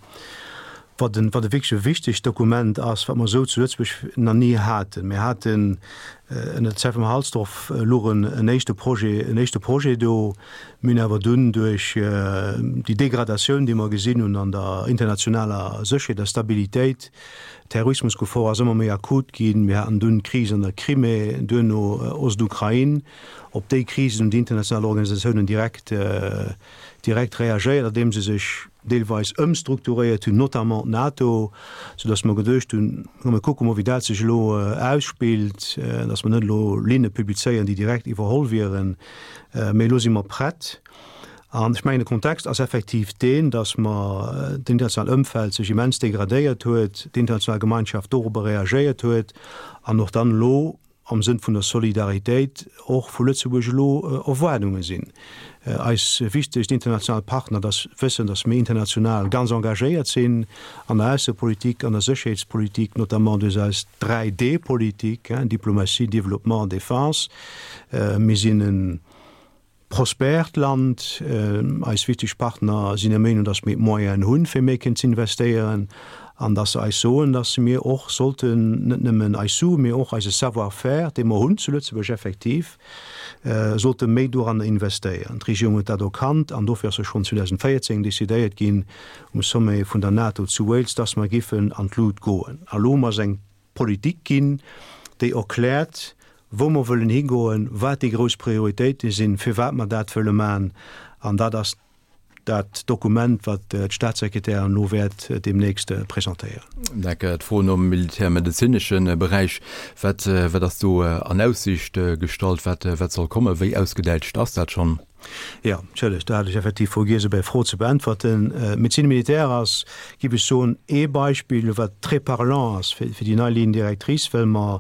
Wat en, wat e wierklech e wichtegt Dokument ass, wat mer esou zu Lëtzebuerg nach ni haten. Mir haten Ënner der Zäit vum Här Halsdorf louch en éischte Projet, en éischte Projet do. Mir hunn awer dunn duerch déi Degradatioun, déi mer gesinn hunn an der internationaler Sécherheet a Stabilitéit, d'Terrorismusgefor ass ëmmer méi akut ginn, mir haten dunn d'Kris an der Crimée, duerno Ostukrain, op déi Krisen hunn déi international Organisatiounen direkt, direkt reagéiert, andeem se sech deelweis ëmstrukturéiert hunn, notamment d'NATO, soudass mer geduecht hunn, komm mir kucke mol, wéi dat sech elo ausspillt, dass mer net elo Linne publizéieren, déi direkt iwwerholl wieren. Mee elo si mer prett. An ech mengen, de Kontext ass effektiv deen, dass mer d'internationaalt Ëmfeld sech immens degradéiert huet, d'international Gemeinschaft dorobber reagéiert huet an och dann elo am Sënn vun der Solidaritéit och vu Lëtzebuerg elo Erwaardunge sinn. Eis wichtegst international Partner, dass wëssen, dass mir international ganz engagéiert sinn an der Aussepolitik, an der Sécherheetspolitik, notamment duerch eis Dräi-D-Politik, Diplomatie, Développement, Défense. Mir sinn e prospèrt Land. Eis wichteg Partner sinn der Meenung, dass mir d'Moyenen hunn, fir méi kënnen ze investéieren an dass se eis soen, dass mir och sollten net nëmmen eis Sue, mee och eise Savoir-faire, dee mer hunn zu Lëtzebuerg effektiv, sollte méi doranner investéieren. D'Regierung huet dat erkannt an dofir ass och schonn zweedausendvéierzéng decidéiert ginn um Sommet vun der NATO zu Wales, dass mer giffen an d'Lut goen. A lo hu mer eng Politik ginn, déi erkläert, wou mer wëllen higoen, wat déi grouss Prioritéite sinn, firwat mer dat wëlle maachen. An dat ass dat Dokument, wat d'Statssekretärin elo wäert deemnächst presentéieren. Necker, d'Fro nom militärmedezinesche Beräich, wat, wat ass do an Aussicht gestallt, wat, wat soll kommen, wéi ausgedäitscht ass dat schonn? Jo, entschëllegt, do hat ech effektiv vergiess op Är Fro ze beäntwerten. D'Médecine militaire ass, géif ech soen, ee Beispill, wat très parlant ass fir déi nei Ligne directrice, well mer,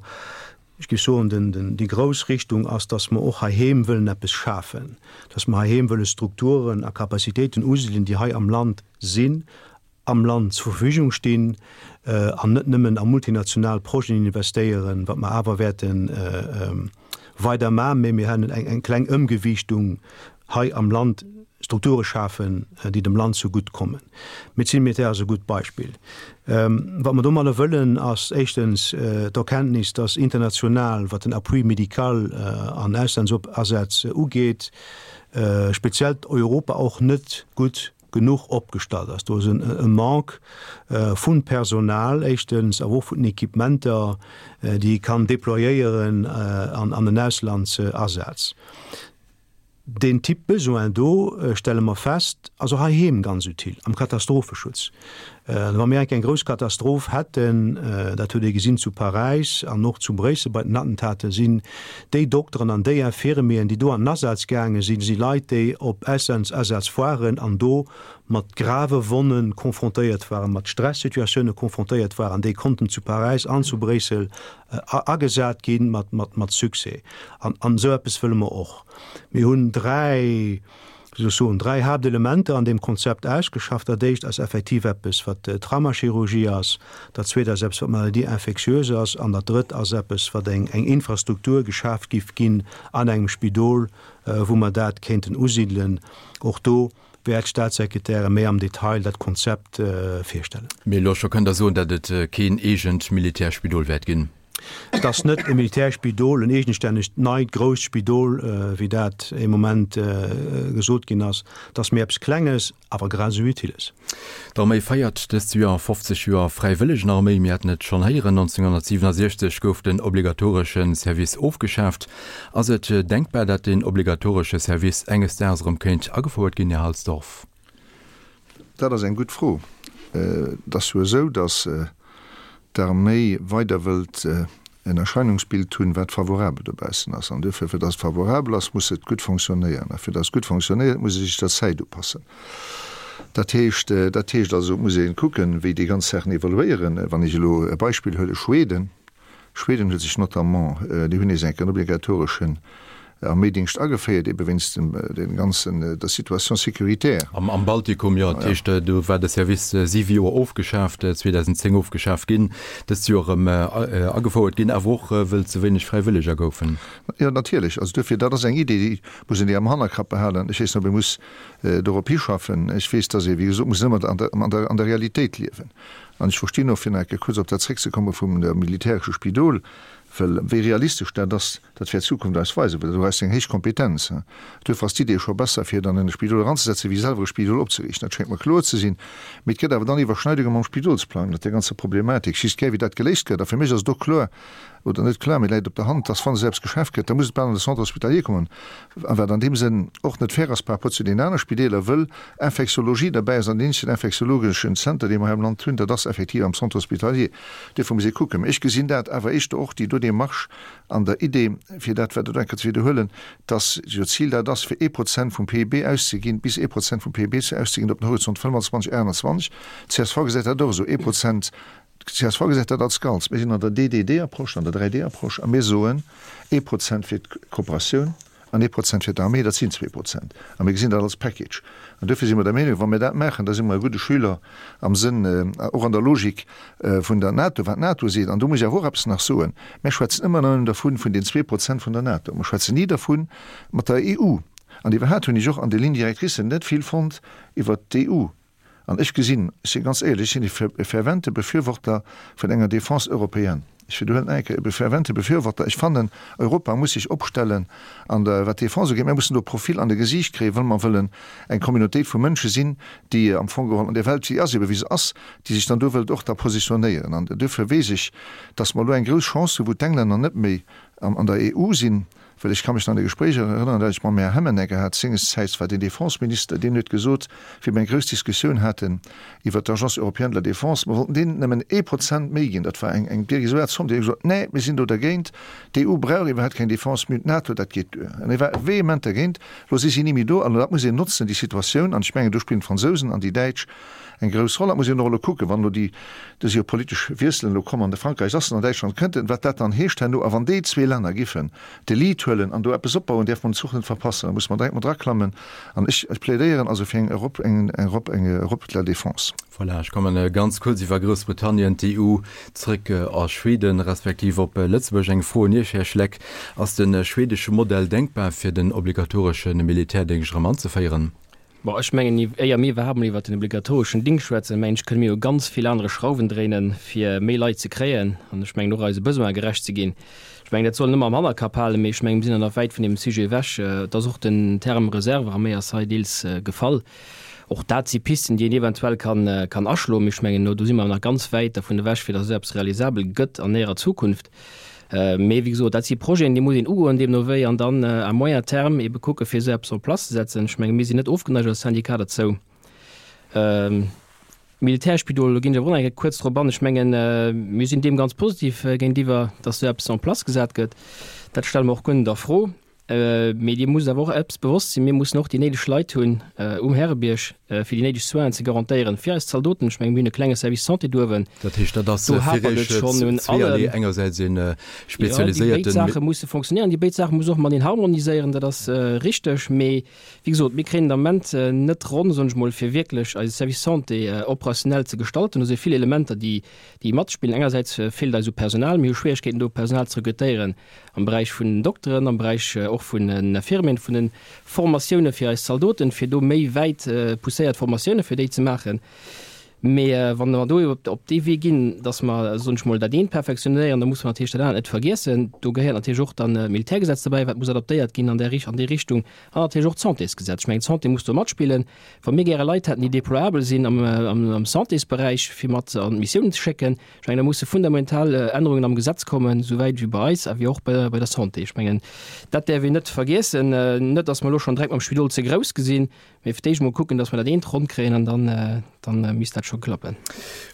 ech géif soen, den, den, déi grouss Richtung ass, dass mer och heiheem wëllen eppes schafen, dass mer heiheem wëlle Strukturen a Capacitéiten usidelen, déi hei am Land sinn, am Land zur Verfügung stinn an net nëmmen a multinational Projeten investéieren, wat mer awer wäerte weider maachen, mä mir hätten eng kleng Ëmgewiichtung hei am Land, Strukture schafen, déi dem Land zegutt kommen. D'Médecine militaire ass e gutt Beispill. Wat mer domadder wëllen, ass éischtens d'Erkenntnis, dass international, wat den Appui médical an Auslandsasätz ugeet, speziell Europa och net gutt genuch opgestallt ass. Do ass e Manque vu Personal éischtens, awer och vun den Equipementer, déi ee kann déployéieren an den Auslandsasaz. Deen Typ Besoin do, stelle mer fest, ass och heiheem ganz utile am Katastropheschutz. Wa mir eng Kéier eng grouss Katastroph hätten, dat huet ee gesinn zu Paräis an och zu Bréissel bei den Attentaten, sinn déi Dokteren an déi Infirmieren, déi do an den Asaz gaange sinn, si Leit, déi op Auslandsasätz waren an do mat grave Wonne confrontéiert waren, mat Stressituatioune confrontéiert waren, déi konnten zu Paräis an zu Bréissel agesat gi mat Succès. An esou eppes wëlle mer och. Mir hunn dräi, wéi soll ech soen, dräi Haaptelementer an deem Konzept ausgeschafft. Dat éischt ass effektiv eppes, wat Traumachirurgie ass, dat zweet ass eppes, wat Maladie infectieuse ass, an dat drëtt ass eppes, wat eng Infrastruktur geschaaft giff ginn an engem Spidol, wou mer dat kéinten usidelen. Och do wäert d'Staatssekretäre méi am Detail dat Konzept virstellen. Mee elo scho kënnt Der soen, datt et keen eegent Militärspidol wäert ginn? Et ass net e Militärspidol, en eegenstännegt neit grousst Spidol, wéi dat ee Moment gesot ginn ass. Et ass méi eppes Klenges, awer grad esou Utiles. D'Arméi feiert dëst Joer fofzeg Joer Fräiwëllegenarméi. Mir haten et schonn héieren, nonzénghonnertsiwwenasiechzeg gouf den obligatoresche Service ofgeschaaft. Ass et denkbar, datt den obligatoresche Service enges Daags erëm kéint agefouert ginn, Här Halsdorf? Dat ass eng gutt Fro. Et ass jo esou, datt d'Arméi weider wëllt en Erscheinungsbild hunn, wat favorabel dobaussen ass. An duerfir, fir datt et favorabel ass, muss et gutt fonctionnéieren. A fir datt et gutt fonctionnéiert, muss e sech der Zäit upassen. Dat heescht, dat heescht also, et muss ee kucken, wéi déi ganz Saachen evoluéieren. Wann ech elo e Beispill huele, Schweden. Schweden huet sech notamment, déi hunn nees eng Kéier en obligatoreschen Arméidingscht ageféiert, ebe wéinst dem dem ganzen, der Situation sécuritaire. Am am Baltikum, jo, dat heescht, do war de Service siwe Joer ofgeschaaft, zweedausendzéng ofgeschaaft ginn, dëst Joer erëm agefouert ginn, awer och wëll ze wéineg Fräiwëlleger goufen. Jo, natierlech. Also duerfir, dat ass eng Idee, déi muss een déi am Hannerkapp behalen. Ech weess net, ob ee muss dorop hischaffen. Ech weess, dass ee, wéi gesot, muss ëmmer an der an der an der Realitéit liewen. An ech verstinn och, fir nach eng Kéier kuerz op dat zréckzekomme vum militäresche Spidol, Well wéi realistesch dat ass, dat wäert d'Zukunft eis weisen, well do ass eng héich Kompetenz. Duerfir ass d'Idee scho besser, fir dann en e Spidol eranzesetzen, wéi selwer e Spidol opzeriichten. Dat schéngt mer kloer ze sinn. Mee et gëtt awer dann Iwwerschneidunge mam Spidolsplang, mat där ganzer Problematik. Ech wéisst gär, wéi dat geléist gëtt. A fir mech ass et och kloer, oder net kloer, mee läit op der Hand, dass, wann esou eppes geschaf gëtt, da muss et bal an de Centre hospitalier kommen, a wat an deem Sënn och net fair ass par rapport zu deenen anere Spideeler, wëll Infektiologie derbäi ass an deen eenzegen infektiologeschen Zenter, dee mer hei am Land hunn, dat ass effektiv am Centre hospitalier. Duerfir muss ee kucken. Mä ech gesinn dat awer éischter och, déi do Démarche an der Idee, fir dat wat elo eng Kéier ze widderhuelen, dass jo d'Zil dat ass, fir ee Prozent vum P I B auszeginn, bis ee Prozent vum P I B ze auszeginn op den Horizont fënnwanzwanzeg, aachtanzwanzeg. D C S V gesäit dat och esou, ee Prozent. D C S V gesäit dat als Ganz. Mir sinn an der D D D-Approche, an der dräi D-Approche, a mir soen, ee Prozent fir d'Kooperatioun an ee Prozent fir d'Arméi, dat sinn zwee Prozent. A mir gesinn dat als Package. An duerfir si mer der Meenung, wa mir dat maachen, da si mer e gudde Schüler am Sënn, och an der Logik vun der NATO, wat d'NATO seet. An do muss ech awer och eppes nach soen, Mir schwätzen ëmmer nëmmen dervun, vun den zwee Prozent vun der NATO. Mer schwätzen ni dervun mat der E U. An iwwerhaapt hunn ech och an de Lignes directrices net vill fonnt iwwert d'E U. An ech gesinn, ech si ganz éierlech, ech sinn e fervente Befürworter vun enger Défense européenne. Ech widderhuelen nach eng Kéier, e fervente Befürworter. Ech fannen, Europa muss sech opstellen an der, wat d'Défense ugeet. Mir mussen do Profil an de Gesiicht kréien, wa mer wëllen eng Communautéit vu Mënsche sinn, déi am Fong geholl an där Welt, déi ass ebe wéi se ass, déi sech dann do wëllt och da positionéieren. An duerfir weess ech, dass mer elo eng grouss Chance hunn, wou d'Englänner net méi an der E U sinn, well ech ka mech nach an e Gespréich erënneren, dat ech mam Här Hemmenegger hat sengersäits, war den Défenseminister, deen huet gesot, wéi mer eng grouss Diskussioun haten iwwert d'Agence européenne de la défense, mer wollten deenen nëmmen ee Prozent méi ginn, dat war eng eng dérisoire Zomm, deen huet gesot, Nee, mir sinn do dergéint, d'E U brauch iwwerhaapt keng Défense, mir hunn d'NATO, dat geet duer. An hie war vehement dergéint. Elo si si ni méi do, an dat muss een notzen, déi Situatioun, an ech mengen, do spillen d'Fransousen an déi Däitsch eng grouss Roll. Dat muss een och elo kucken, wann elo déi, do si jo politesch Wiesselen elo komm an de Frankräich ass en, an Däitschland kënnt en, wat dat dann heescht herno. A wann déi zwee Länner giffen de Lead huelen an do eppes opbauen, däerfe mer den Zuch net verpassen, da musse mer direkt mat eraklammen. An ech, ech plädéieren also fir eng Europe, eng Europe, eng Europe de la défense. Voilà, ech kommen ganz kuerz iwwer Groussbritannien, d'E U zréck a Schweden, respektiv op Lëtzebuerg. Eng Fro un Iech, Här Schleck, Ass de schwedesche Modell denkbar, fir den obligatoresche Militärdéngscht erëm anzeféieren? Bon, ech mengen, éier mir iwwerhaapt mol iwwert den obligatoreschen Dingscht schwätzen, mengen ech, kënne mir u ganz vill anere Schrauwen dréinen, fir méi Leit ze kréien an ech mengen och eise Besoine gerecht ze ginn. Ech mengen, dat soll een ëmmer am Hannerkapp halen, mee ech mengen, mir sinn nach wäit vun deem Sujet ewech. Et ass och den Term Reservearméi ass hei deels gefall. Och dat si Pisten, déi een eventuell kann, kann aschloen, mee ech mengen, do si mer nach ganz wäit dervun ewech, fir datt esou eppes realisabel gëtt an näherer Zukunft. Mee wéi gesot, dat si Projeten, déi muss een ugoen deemno wéi an dann à moyen terme ebe kucke fir esou eppes en place ze setzen. Ech menge mir sinn net ofgeneigt als Syndicat derzou. Militärspidol, do ginn ech awer och nach eng Kéier kuerz drop an. Ech mengen, mir sinn deem ganz positiv géintiwwer, datt esou eppes en place gesat gëtt. Dat stelle mer och guer net a Fro. Mee Dir musst awer och eppes bewosst sinn, Mir mussen och déi néideg Leit hunn um Härebierg, fir déi néideg Soinen ze garantéieren fir eis Zaldoten. Ech mengen, mir hunn e klenge Service Santé do uewen. Dat heescht, dat ass fir Iech zweeërlee, engersäits ee spezialiséierten. Jo, déi béid Saache musse fonctionnéieren, déi béid Saache musse och mateneen harmoniséieren, dat ass richteg. Mee wéi gesot, mir kréien den Ament net ronn, soen ech mol, fir wierklech eise Service Santé operationell ze gestalten. Do si vill Elementer, déi matspillen. Engersäits feelt eis u Personal, mir hu Schwieregkeeten do Personal ze rekrutéieren am Beräich vun den Dokteren, am Beräich och vun den Infirmieren, vun den Formatioune fir eis Zaldoten, fir do méi wäit pousséiert Formatioune fir déi ze maachen. Mee wa mer do op dee Wee ginn, datt mer, soen ech mol, dat eent perfektionéieren, da musse mer natierlech dat anert net vergiessen. Do gehéiert natierlech och dann d'Militärgesetz dobäi, wat muss adaptéiert ginn an där an déi Richtung, an natierlech och d'Santésgesetz. Ech mengen, d'Santé muss do matspillen. Wa mir gäre Leit hätten, déi déployabel sinn am, am Santésberäich, fir mat an d'Missiounen ze schécken, ech mengen, da musse fundamental Ännerungen am Gesetz kommen, souwäit wéi bei eis a wéi och bei, bei der Santé. Ech mengen, dat däerf een net vergiessen. Net, datt mer elo schonn direkt mam Spidol ze grouss gesinn, mee fir d'éischt emol kucken, datt mer dat eent ronn kréien an dann, dann misst dat scho klappen.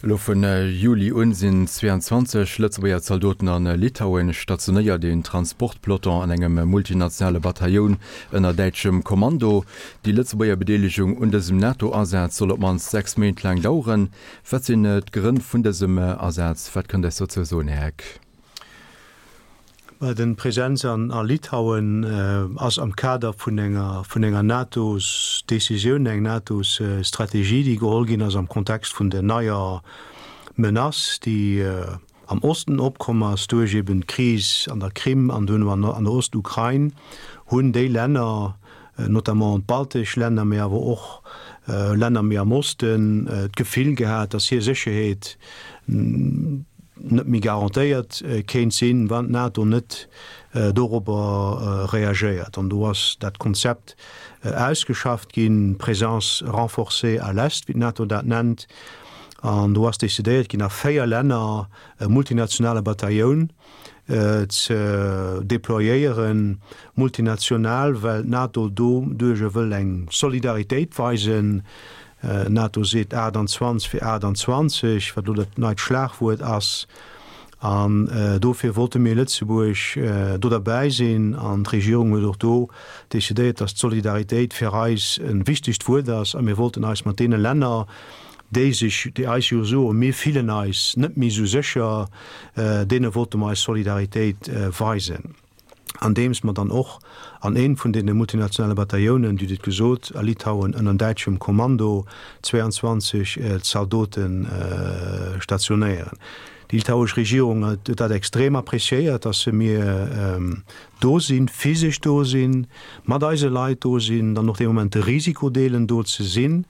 Elo vun Juli un sinn zweeanzwanzeg Lëtzebuerger Zaldoten a Litauen stationéiert, een Transportpeloton an engem multinationale Batailloun ënner däitschem Kommando. Déi Lëtzebuerger Bedeelegung un dësem NATO-Asaz soll op d'mannst sechs Méint laang daueren. Wat sinn d'Grënn vun dësem Asaz? Wat kënnt Dir eis dozou soen, Här Heck? Well den Präsenz an a Litauen ass am Kader vun enger vun enger NATOs Decisioun, eng NATOs Strategie, déi geholl ginn ass am Kontext vun der neier Menace, déi am Osten opkomm ass duerch eben d'Kris an der Krim an duerno an an der Ostukrain, hunn déi Länner, notamment d'baltesch Länner, mee awer och Länner méi am Osten, d'Gefill gehat, datt hir Sécherheet net méi garantéiert kéint sinn, wann d'NATO net dorobber reagéiert. An do ass dat Konzept ausgeschafft ginn, Présence renforcée à l'Est, wéi d'NATO dat nennt. An do ass decidéiert ginn, a véier Länner e multinationale Batailloun ze deployéieren. Multinational, well d'NATO doduerjer wëll eng Solidaritéit weisen. D'NATO seet achtundzwanzeg fir achtundzwanzeg, wat elo dat neit Schlagwuert ass. An dofir wollte mir Lëtzebuerg do derbäi sinn. An d'Regierung huet och do decidéiert, datt d'Solidaritéit fir eis e wichtegt Wuert ass. A mir wollten eis mat deene Länner, déi sech, déi eis jo soen, mir fillen eis net méi esou sécher, deene wollte mer eis Solidaritéit weisen. Andeems mer dann och an eent vun deene multinationale Bataillonen, Dir hutt et gesot, a Litauen ënner däitschem Kommando zweeanzwanzeg Zaldote stationéieren. Déi litauesch Regierung huet dat extrem appréciéiert, dass se mir do sinn, physesch do sinn, mat eise Leit do sinn, dann och dee Moment de Risiko deelen, do ze sinn.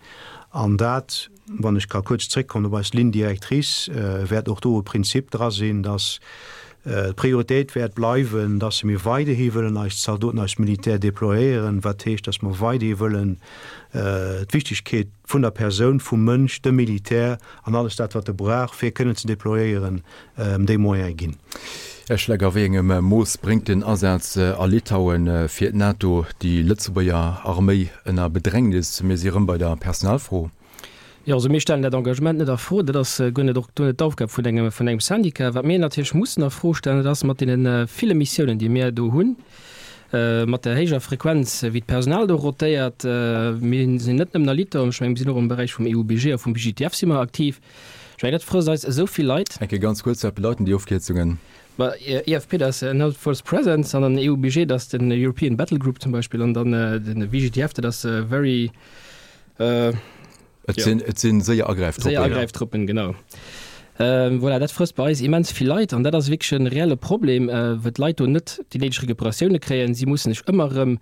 An dat, wann ech ka kuerz zréckkommen op eis Ligne directrice, wäert och do e Prinzip dra sinn, dass d'Prioritéit wäert bleiwen, dass mir weiderhi wëllen eis Zaldoten, eis Militär déployéieren, wat heescht, dass mer weiderhi wëllen d'Wichtigkeet vun der Persoun, vum Mënsch, dem Militär an alles dat, wat e brauch, fir kënnen ze déployéieren, déi Moyene ginn. Här Schleck, a wéi engem Mooss bréngt den Asaz a Litauen fir d'NATO déi Lëtzebuerger Arméi ënner Bedrängnis? Mir si erëm bei der Personalfro. Jo, also mir stellen dat Engagement net a Fro. Dat ass guer net, och guer net d'Aufgab vun engem, vun engem Syndicat. Wat mir natierlech mussen a Fro stellen, dat ass mat deene ville Missiounen, déi mir do hunn, mat der héijer Frequenz, wéi d'Personal do rotéiert. Mir sinn net nëmmen a Litauen, ech mengen, mir sinn och am Beräich vum E U B G a vum B G T F si mer aktiv. Ech mengen, dat frësst eis esou vill Leit. Eng Kéier ganz kuerz, wat bedeiten déi Ofkierzungen? Ma E F P, dat ass Enhanced Force Presence, an dann E U B G, dat ass den European Battle Group zum Beispill, an dann den V G T F, dat ass Very. Et sinn, et sinn séier Agräiftruppen. Séier Agräiftruppen, genau. Ähm, voilà, dat frësst bei eis immens vill Leit an dat ass wierklech en reelle Problem, äh, well d'Leit do net déi néideg Recuperatioune kréien. Si mussen sech ëmmer erëm,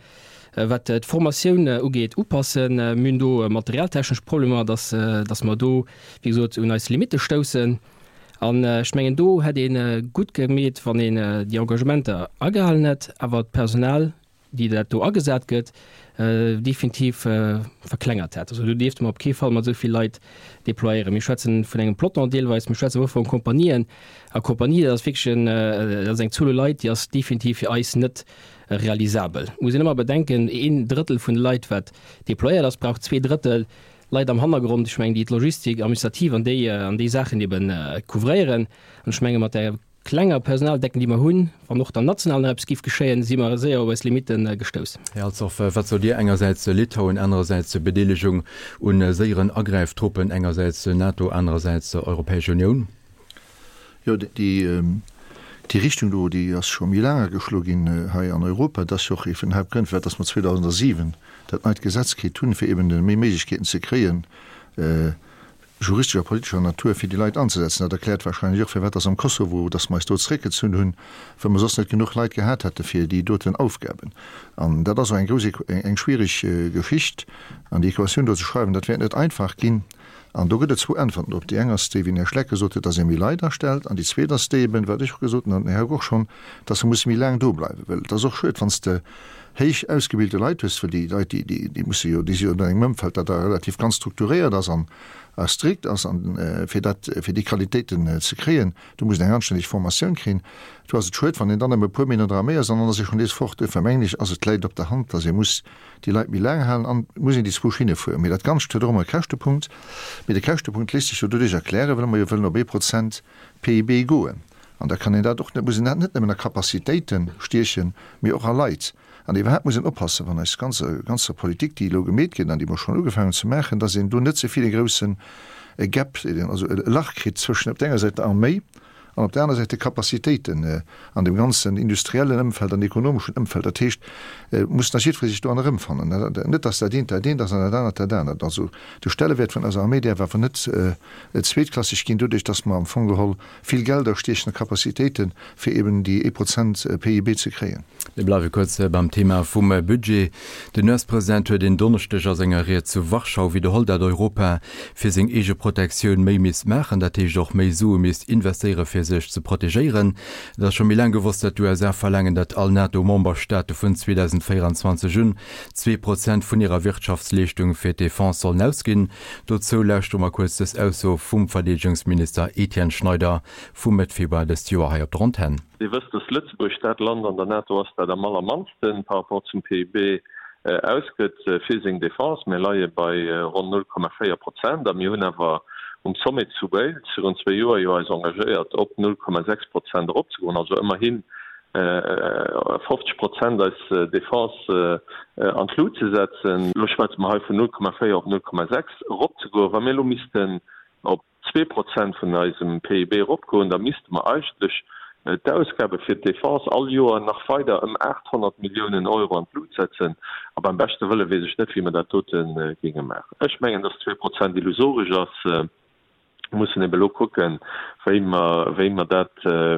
äh, wat d'Formatioun äh, ugeet, upassen. Äh, mir hunn do materialtechnesch Problemer, dass, äh, dass mer do, wéi gesot, un eis Limitte stoussen. An äh, ech mengen, do hätt een äh, gutt gemeet, wann een äh, déi Engagementer agehalen hätt, awer d'Personal, déi dat do agesat gëtt, definitiv verklengert hätt. Also do dierfte mer op kee Fall mat esou vill Leit déployéieren. Mir schwätzen vun engem Peloton deelweis, mir schwätzen awer och vu Kompanien. A Kompanie, dat ass wierklech en, dat ass eng Zuel u Leit, déi ass definitiv fir eis net realisabel. Muss een ëmmer bedenken, een Drëttel vun de Leit, wat déployéiert ass, brauch zwee Drëttel Leit am Hannergrond, ech mengen, déi d'Logistik, administrativ an déi, an déi Saachen eben couvréieren. An ech menge mat där klenger Personaldecken, déi mer hunn, wann och dann national nach eppes géif geschéien, si mer séier op eis Limite gestouss. Här Halsdorf, wat sot Dir? Engersäits Litauen, anerersäits Bedeelegung u séieren Agräiftruppen, engersäits NATO, anerersäits Europäesch Unioun? Jo, déi Richtung do, déi ass scho méi laang ageschloe ginn hei an Europa. Dat ass jo och ee vun den Haaptgrënn, firwat dass mer zweedausendasiwen dat neit Gesetz kritt hunn, fir eben méi Méiglechkeeten ze kréien, juristescher a politescher Natur, fir déi Leit anzesetzen. Dat erkläert wahrscheinlech och, firwat dass am Kosovo, dass mer eis do zeréckgezunn hunn, well mer soss net genuch Leit gehat hätte fir déi doten Aufgaben. An dat ass och eng grouss, eng schwierig Geschicht. An déi Equatioun do ze schreiwen, dat wäert net einfach ginn. An do gëtt et zwou Äntwerten drop. Déi eng ass déi, wéi den Här Schleck gesot huet, dass ee méi Leit astellt. An déi zweet ass déi eben, wat ech och gesot hunn, an den Här Hauck och schonn, dass se musse méi laang do bleiwen. Well et ass och schued, wann s de héich ausgebilte Leit hues, well déi Leit, déi, déi, déi musse jo, déi si jo an engem Ëmfeld, dat da relativ ganz strukturéiert ass an a strikt ass, an fir dat, fir déi Qualitéiten ze kréien, do muss een eng anstänneg Formatioun kréien. Do ass et schued, wann een dann nëmme e puer Méint an der Arméi ass an dann ass ee schonn nees fort. Duerfir mengen ech, ass et, läit et op der Hand, dass ee muss déi Leit méi laang halen an et muss een déi zwou Schinne fueren. Mee dat Ganzt huet och ëmmer e Käschtepunkt. Mee de Käschtepunkt léisst sech jo doduerch erklären, well mer jo wëllen op ee Prozent P I B goen. An da kann een dat och net, muss een dat net nëmmen a Capacitéite stiechen, mee och a Leit. An iwwerhaapt muss een oppassen, wann eis ganze ganzer Politik, déi elo gemeet gëtt an déi mer schonn ugefaangen hunn ze maachen, dass een do net ze vill e groussen Gap, also e Lach kritt zwëschen op der enger Säit der Arméi an op der aner Säit de Capacitéiten an deem ganzen industriellen Ëmfeld an ekonomeschen Ëmfeld. Dat heescht, et muss nach jiddweree sech do an erëmfannen. Net, dass dat eent dat eent ass an dat anert dat anert. Also de Stellewäert vun eiser Arméi däerf awer net zweetklasseg ginn, doduerch dass mer am Fong geholl vill Gelder stiechen a Capacitéiten, fir eben déi ee Prozent P I B ze kréien. Mir bleiwe kuerz beim Thema vum Budget. Den U S-President huet en Donneschdeg a senger Ried zu Warschau widderholl, dat Europa fir seng eege Protektioun méi misst maachen, dat heescht och méi Sue misst investéiere fir fir sech ze protegéieren. Et ass scho méi laang gewosst, datt d'USA verlaangen, datt all NATO-Memberstaate vun zweedausendvéierenzwanzeg un zwee Prozent vun hirer Wirtschaftsleeschtung fir d'Defense sollen ausginn. Dozou lauschtere mer kuerz dës Ausso vum Verdeedegungsminister Etienne Schneider vu Mëtt Februar dëst Joer hei op der Antenn. Dir wësst, dass Lëtzebuerg dat Land an der NATO ass, dat am allermannste par rapport zum P I B ausgëtt fir seng Defense. Mir leie bei ronn null Komma véier Prozent a mir hunn awer um Sommet zu Wales virun zwee Joer jo eis engagéiert, op null Komma sechs Prozent eropzegoen, also ëmmerhi fofzeg Prozent eis Defense an d'Lut ze setzen. Elo schwätze mer hei vun null Komma véier op null Komma sechs eropzegoen. Wa mir elo missten op zwee Prozent vun eisem P I B eropgoen, da misste mer eigentlech d'Ausgabe fir d'Defense all Joer nach weider ëm aathonnert Milliounen Euro an d'Lut setzen. A beim beschte Wëlle weess ech net, wéi mer dat dote géinge maachen. Ech mengen, dass zwee Prozent illusoresch ass. Mir mussen ebe elo kucken, wéi mer, wéi mer dat,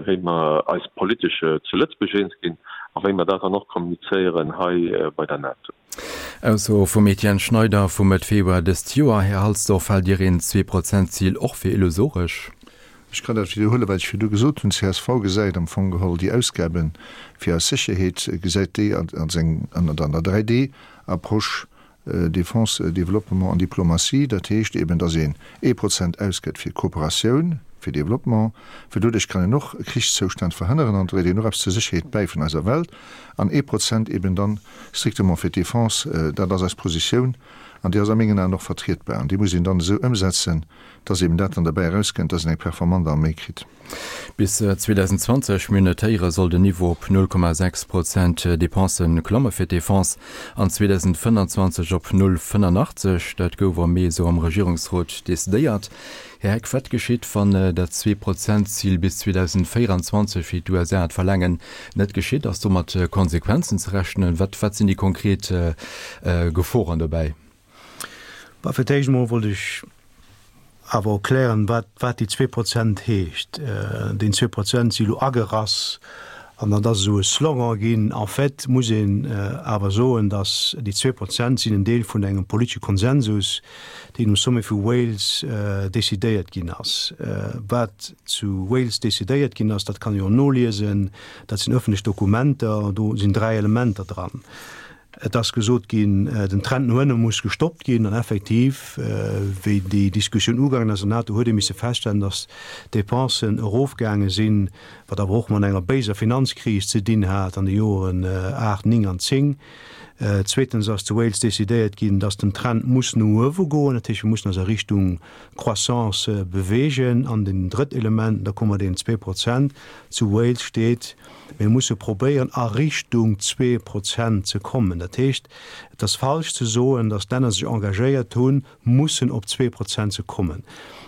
wéi mer eis politesch zu Lëtzebuerg eens ginn a wéi mer dat dann och kommunizéieren hei bei der NATO. Ausso vum Etienne Schneider vu Mëtt Februar dëst Joer. Här Halsdorf, haalt Dir een Zwee-Prozent-Zil och fir illusoresch? Ech kann dat widderhuelen, wat ech virdu gesot hunn. Csv gesäit am Fong geholl déi Ausgabe fir eis Sécherheet, gesäit déi als eng, an der dräi D Approche, Défense, Développement an Diplomatie. Dat heescht eben, datt een ee Prozent ausgëtt fir Kooperatioun, fir Développement, well doduerch kann een och Krichszoustänn verhënneren an dréit een och eppes zur Sécherheet bäi vun eiser Welt, an ee Prozent eben dann strictement fir d'Défense. Dat ass eis Positioun an déi ass a mengen Aen och vertrietbar an déi muss een dann esou ëmsetzen, datt eben dat dann derbäi erauskënnt, datt een eng performant Arméi kritt. Bis zweedausendenzwanzeg, mir hunn et héieren, soll den Niveau op null Komma sechs Prozent Dépensen klamme fir d'Defense an zweedausendfënnanzwanzeg op null fënnanachtzeg. Dat gouf am Mee esou am Regierungsrot decidéiert. Här Heck, wat geschitt, wann dat Zwee-Prozent-Zil bis zweedausendvéierenzwanzeg, wéi d'U S A et verlaangen, net geschitt? Ass do mat Konsequenzen ze rechnen? Wat, wat sinn déi konkret Geforen dobäi? Bah, fir d'éischt emol wollt ech awer och klären, wat, wat déi zwee Prozent heescht. Deen zwee Prozent si lo agerass an dat ass esou e Slogan ginn. En fait muss een awer soen, datt déi zwee Prozent sinn en Deel vun engem politesche Konsensus, deen um Sommet vu Wales decidéiert ginn ass. Wat zu Wales decidéiert ginn ass, dat kann ee jo noliesen, dat sinn ëffentlech Dokumenter, do sinn dräi Elementer dran. Et ass gesot ginn, den Trend no ënne muss gestoppt ginn. An effektiv, wéi déi Diskussioun ugaangen ass an der NATO, huet ee misse feststellen, datt d'Depensen erofgaange sinn, wat awer och mat enger béiser Finanzkris ze dinn hat an de Joren aacht, néng an zéng. Zweetens ass zu Wales decidéiert ginn, datt den Trend muss no uewe goen, dat heescht, mir mussen eis a Richtung Croissance beweegen. An den drëtt Element, da komme mer deen zwee Prozent, zu Wales steet, Mir musse probéieren, a Richtung zwee Prozent ze kommen. Dat heescht, et ass falsch ze soen, datt d'Länner sech engagéiert hunn, mussen op zwee Prozent ze kommen.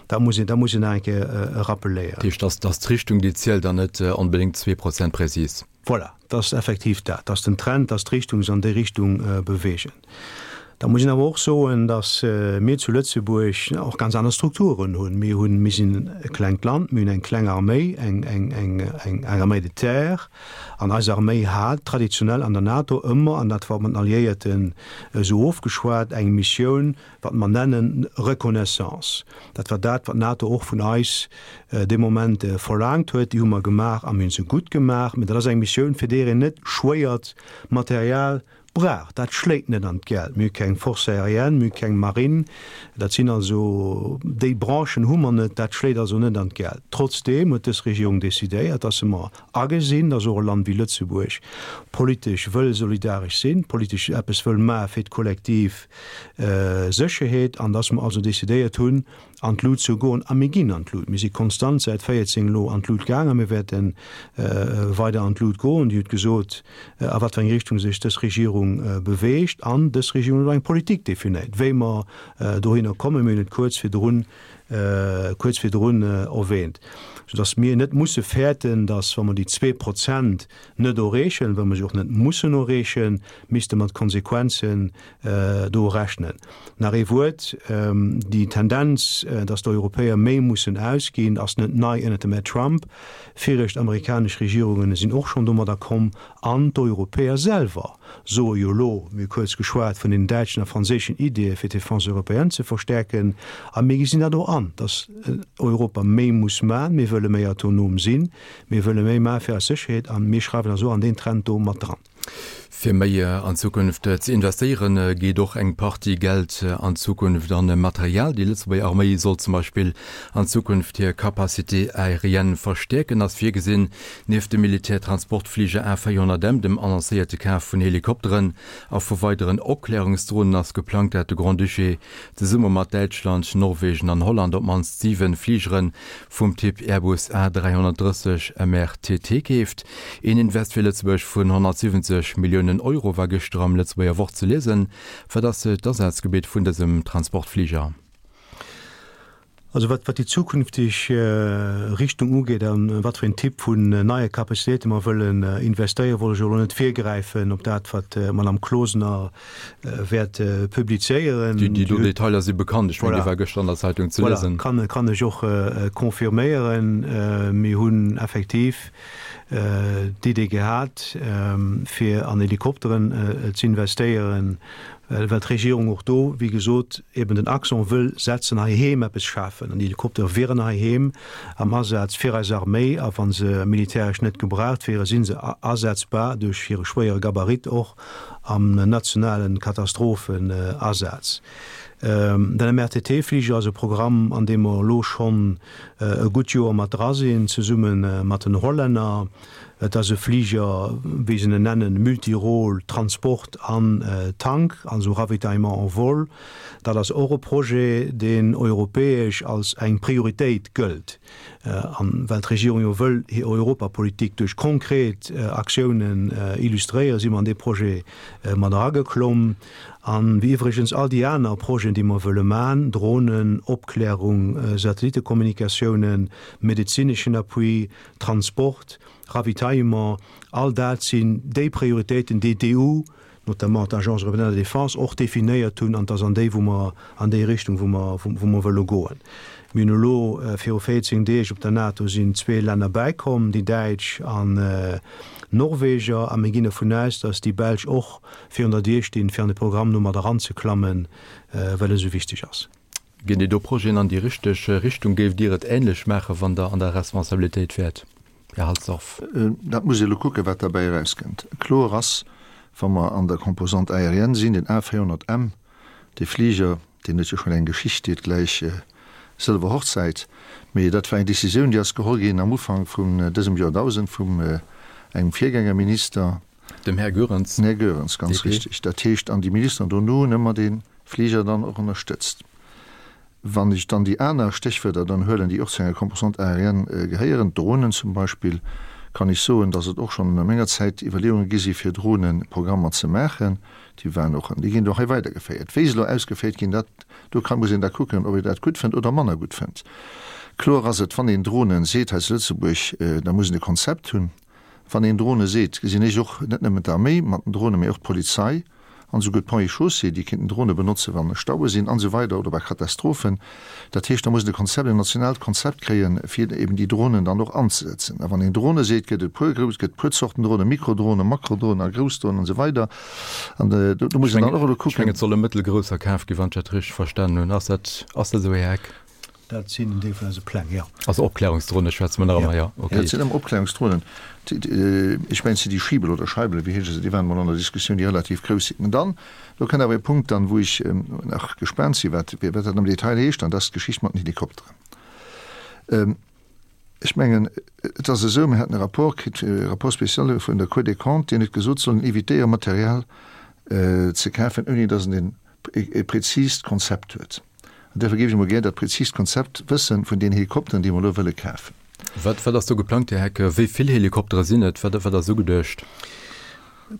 Dat muss een, dat muss een nach eng Kéier rappeléieren. Dat heescht, datt ass d'Richtung, déi zielt an net onbedéngt zwee Prozent prezis. Voilà, dat ass effektiv dat. Dat ass den Trend, dass d'Richtung sech an déi Richtung beweegen. Da muss een awer och soen, dass mir zu Lëtzebuerg och ganz aner Strukturen hunn. Mir hunn, mir sinn e klengt Land, mir hunn eng kleng Arméi, eng, eng, eng, eng Arméi de terre. An eis Arméi hat traditionell an der NATO ëmmer, an dat war mat den Alliéierten esou ofgeschwat, eng Missioun, wat mer nennen Reconnaissance. Dat war dat, wat d'NATO och vun eis dee Moment verlaangt huet. Déi hu mer gemaach a mir hu se gutt gemaach. Mä dat ass eng Missioun, fir déi een net schwéiert Material brauch. Dat schléit net an d'Geld. Mir hu keng Force aérienne, mir hu keng Marine. Dat sinn also, déi Branchen hu mer net. Dat schléit also net an d'Geld. Trotzdeem huet dës Regierung decidéiert, dass se mer agesinn, dass och e Land wéi Lëtzebuerg politesch wëll solidaresch sinn, politesch eppes wëll maache fir d'kollektiv Sécherheet, an dass mer also decidéiert hunn, an d'Lut ze goen. A mir ginn an d'Lut. Mir si konstant säit véierzéng elo an d'Lut gaang a mir wäerte weider an d'Lut goen. Dir hutt gesot, a wat fir eng Richtung sech dës Regierung beweegt. An dës Regierung huet och eng Politik definéiert, wéi mer dohinner kommen. Mir hunn et kuerz virdrun, kuerz virdrun erwähnt, soudass mir net musse fäerten, dass, wa mer déi zwee Prozent net erreechen, well mer se och net mussen erreechen, misste mat Konsequenzen do rechnen. Nach ee Wuert, Déi Tendenz, dass d'Europäer méi mussen ausginn, ass net nei ënnert dem Här Trump. Viregt amerikanesch Regierungen sinn och schonn domadder komm. An d'Europäer selwer soe jo elo, mir hu kuerz geschwat vun den däitschen a franséischen Ideeë fir d'Défense européenne ze verstärken, a mir gesinn dat och an. an, dass Europa méi muss man, mir wëlle méi autonom sinn, mir wëlle méi man fir eis Sécherheet an mir schreiwen eis och an deen Trend do mat dran. Fir méi an Zukunft ze investéieren, geet och eng Partie Geld an Zukunft an Material. Déi Lëtzebuerger Arméi soll zum Beispill an Zukunft hir Capacité aérienne verstäerken, ass virgesinn. Nieft dem Militärtransportfliger A véierhonnert M, dem annoncéierte Kaf vun Helikopteren a vu weideren Opklärungsdronen ass geplangt, dat de Grand-Duché zesumme mat Däitschland, Norwegen an Holland op d'mannst siwen Fligere vum Typ Airbus A dräihonnertdrësseg M R T T keeft. Een Invest fir Lëtzebuerg vun honnertsiwwenzeg Milliounen Euro war gëschter am Lëtzebuerger Wort ze liesen. Wat ass d'Asazgebitt vun dësem Transportfliger? Also wat wat déi zukünfteg Richtung ugeet a wat fir een Typ vun neie Capacitéite mer wëllen investéieren, wollt ech elo net virgräifen op dat, wat d'Madame Closener wäert publizéieren. Déi do Detailer si bekannt, ech mengen, déi war gëschter an der Zeitung ze liesen. Voilà, kann, kann ech och confirméieren. Mir hunn effektiv d'Idee gehat, fir an Helikopteren ze investéieren, well d'Regierung och do, wéi gesot, eben den Accent wëll setzen, heiheem eppes schafen. An déi Helikoptere wieren heiheem am Asaz fir eis Arméi, a wa se militäresch net gebraucht wieren, si se asetzbar duerch hire schwéiere Gabarit och am nationale Katastrophenasaz. Den M R T T-Fliger ass e Programm, an deem mer elo schonn e gutt Joer mat dra sinn, zesumme mat den Hollänner. Et ass e Fliger, wéi se en nennen, Multirôle, Transport an Tank, also Ravitaillement en vol. Dat ass och e Projet, deen europäesch als eng Prioritéit gëllt. An well d'Regierung jo wëll hir Europapolitik duerch konkret Aktiounen illustréieren, si mer an dee Projet mat erageklomm. An wéi iwwregens all déi aner Projeten, déi mer wëlle man, Dronen, Opklärung, Satellittekommunikatiounen, medezineschen Appui, Transport, Ravitaillement, all dat sinn déi Prioritéiten, déi d'E U, notamment d'Agence européenne de la défense, och definéiert hunn, an et ass an déi, wou mer, an déi Richtung, wou mer, wou mer wëlle goen. Mir hunn elo viru véierzéng Deeg op der NATO sinn zwee Länner bäikomm, déi Däitsch an d'Norweger, a mir ginn dervun aus, datt déi Belsch och virun der Dier stinn, fir an de Programm do mat eranzeklammen, well e sou wichteg ass. Ginn déi do Projeten an déi richteg Richtung? Géift Dir et änlech maachen, wann Der an der Responsabilitéit wäert, Här Halsdorf? Dat muss ee elo kucken, wat derbäi erauskënnt. Kloer ass, wa mer an der Composante aérienne sinn, den A véierhonnert M, dee Fliger, deen huet jo schonn eng Geschicht, déi huet gläich sëlwer Hochzäit, mee dat war eng Décisioun, déi ass geholl ginn am Ufank vun dësem Joerdausend vum engem Virgängerminister. Dem Här Goerens. Den Här Goerens, ganz richtig. Dat heescht, an déi Ministeren dono hunn ëmmer dee Fliger dann och ënnerstëtzt. Wann ech dann déi aner Stéchwierder dann huelen, déi och zu enger Composante aérienne gehéieren, d'Dronen zum Beispill, kann ech soen, dass et och schonn a menger Zäit Iwwerleeunge gi si fir Droneprogrammer ze maachen. Déi waren och, déi ginn och hei weidergeféiert. Wéi se elo ausgeféiert ginn, dat, do kann, muss een da kucken, ob een dat gutt fënnt oder manner gutt fënnt. Kloer ass et, wann een Dronen seet hei zu Lëtzebuerg, da muss een e Konzept hunn. Wann een Drone seet, gesinn ech och net nëmmen d'Arméi mat den Dronen, mee och d'Polizei an esouguer d'Ponts et Chaussées, déi kéinten Drone benotzen, wann Staue sinn an esou weider oder bei Katastrophen. Dat heescht, da muss een e Konzept, en nationaalt Konzept kréien, fir eben déi Dronen dann och anzesetzen. A wann een Drone seet, gëtt et puer grouss, gëtt puer Zorten Dronen, Mikrodronen, Makrodronen a grouss Dronen an esou weider. An do muss een dann och elo kucken. Ech mengen, et solle mëttelgrousser kaf ginn, wann ech dat richteg verstanen hunn. Ass dat, ass dat esou, Här Heck? Dat sinn en Deel vun eise Pläng, jo. Also Opklärungsdronen schwätze mer nach ëmmer, jo. Okay. Dat sinn ëmmer Opklärungsdronen. Ech mengen, et sinn déi Schibel oder Scheibele, wéi heesche se, déi waren emol an der Diskussioun, déi relativ grouss sinn. An dann, do kënnt awer e Punkt dann, wou ech nach gespaant sinn, wat, wat dat am Detail heescht, an dat ass d'Geschicht mat den Helikopteren. Ech mengen, et ass esou, mir haten e Rapport kritt, e Rapport spécial vun der Cour des Comptes, deen huet gesot, sollen évitéieren, Material ze kafen, ouni datt een e präzist Konzept huet. An duerfir géif ech emol gär dat präzist Konzept wëssen vun deenen Helikopteren, déi mer elo wëlle kafen. Wat, wat ass do geplangt, Här Heck? Wéi vill Helikoptere sinn et? Wat, wat ass ugeduecht?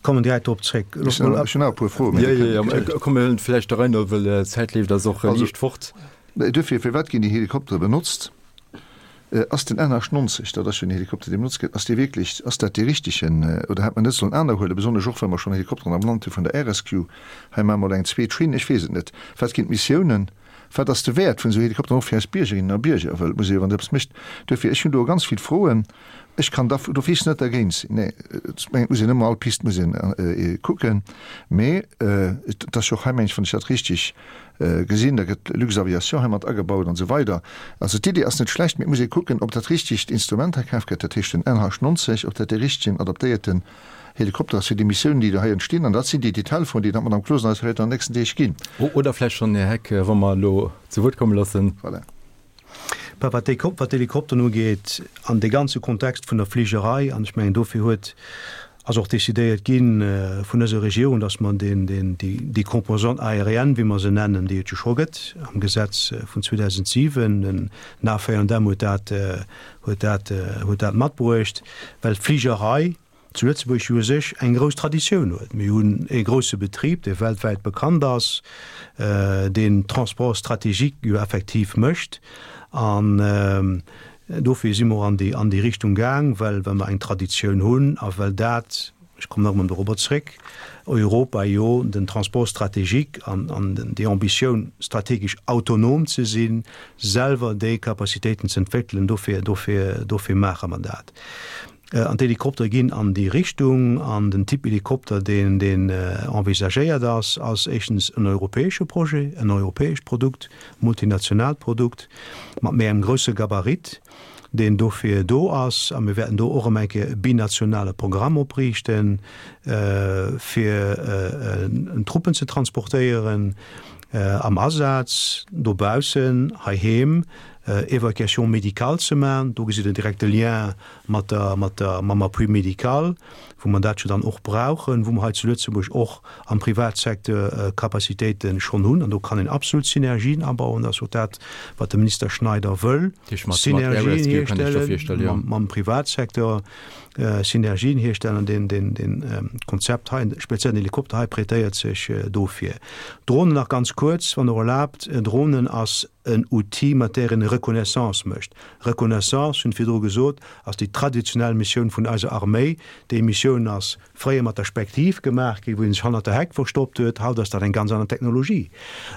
Kommen direkt drop zréck. Ech hunn nach e puer Froen. Jo, jo, jo, komm, mir huelen vläicht der Rei no, well d'Zäit leeft eis och liicht fort. Duerfir, firwat ginn déi Helikoptere benotzt? Ass den N achtundneunzeg, dat ass jo en Helikopter, dee benotzt gëtt, ass dee wierklech, ass dat dee richtegen oder hätt mer net sollen aner huelen, besonnesch och well mer schonn Helikopteren am Land hu vun der Air Rescue? Hei maache mer elo eng zweet Schinn, ech weess et net. Wat ginn d'Missiounen? Wat ass de Wäert vun esou Helikopteren och fir eis Biergerinnen a Bierger? Well et muss ee jo, wann Der eppes mécht, duerfir, ech hunn do ganz vill Froen Ech kann da d'office net dergéint sinn. Nee, ech mengen, et muss een ëmmer all Pist muss een kucken. Mee et ass jo och hei, mengen ech, wann ech dat richtig gesinn, da gëtt Luxaviation hei mat agebaut an esou weider. Also d'Iddi ass net schlecht, mee et muss ee kucken, ob dat richtegt Instrument hei kaf gëtt, dat heescht den N H neunzeg, ob dat dee richtegen adaptéierten Helikopter ass fir déi Missiounen, déi do hei entstinn. An dat sinn déi Detailfroen, déi dann d'Madame Closener eis wäert an den nächsten Deeg ginn. Oder vläicht schonn, Här Heck, wa mer elo zu Wuert komme loossen. Voilà. Bah, wat déi, wat d'Helikopteren ugeet, an dee ganze Kontext vun der Fligerei, an ech mengen, dofir huet, ass och decidéiert gi vun eiser Regierung, dass mer deen, deen, déi, déi Composante aérienne, wéi mer se nennen, déi et jo scho gëtt am Gesetz vun zweedausendsiwen, den A V M huet dat, huet dat, huet dat matbruecht, well d'Fligerei zu Lëtzebuerg jo u sech eng grouss Traditioun huet. Mir hunn e grousse Betrib, dee weltwäit bekannt ass, deen Transport stratégique jo effektiv mécht. An dofir si mer an déi, an déi Richtung gaang, well, well mer eng Traditioun hunn a well dat, ech kommen nach emol dorobber zréck, Europa jo den Transport stratégique an, an déi Ambitioun, strategesch autonom ze sinn, selwer déi Capacitéiten ze entwéckelen, dofir, dofir, dofir maache mer dat. An d'Helikoptere ginn an déi Richtung. An den Typ Helikopter, deen, deen envisagéiert ass, ass éischtens en europäesche Projet, en europäescht Produkt, multinationaalt Produkt mat méi engem grousse Gabarit, deen dofir do ass. A mir wäerten do och erëm eng Kéier e binationale Programm opriichten, fir Truppen ze transportéieren am Asaz dobaussen, heiheem, Évacuation médicale ze maachen. Do gesitt Der direkt de Lien mat der, mat der, mam Appui médical, wou mer dat jo dann och brauchen, wou mer hei zu Lëtzebuerg och am Privatsecteur Capacitéite schonn hunn. An do kann een absolut Synergien abauen. Dat ass och dat, wat de Minister Schneider wëll, Synergien hierstellen mam Privatsecteur, Synergien hierstellen. An deen, deen, deen Konzept hei, speziell den Helikopter hei, prêtéiert sech dofir. Dronen nach ganz kuerz, wann Der erlaabt. Dronen ass en Outil, mat där een Reconnaissance mécht. Reconnaissance, hunn virdru gesot, ass déi traditionell Missioun vun eiser Arméi. Déi Missioun ass fréier mat der Spektiv gemaach ginn, wou een sech hannert der Heck verstoppt huet. Haut ass dat eng ganz aner Technologie.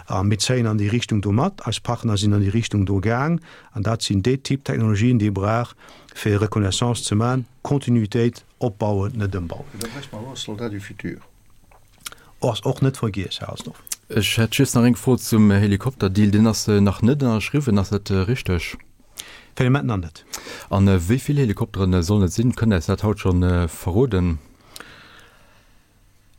A mir zéien an déi Richtung do mat. Eis Partner sinn an déi Richtung do gaang. An dat sinn déi Typ Technologien, déi ee brauch, fir Reconnaissance ze maachen. Kontinuitéit opbauen, net ëmbauen. Da bräichte mer och e Soldat du futur. Ass och net vergiess, Här Halsdorf. Ech hätt just nach eng Fro zum Helikopterdeal. Deen ass nach net ënnerschriwwen, ass dat richteg? Fir de Moment nach net. A wéi vill Helikoptere sollen et sinn? Kënnt Der eis dat haut scho verroden?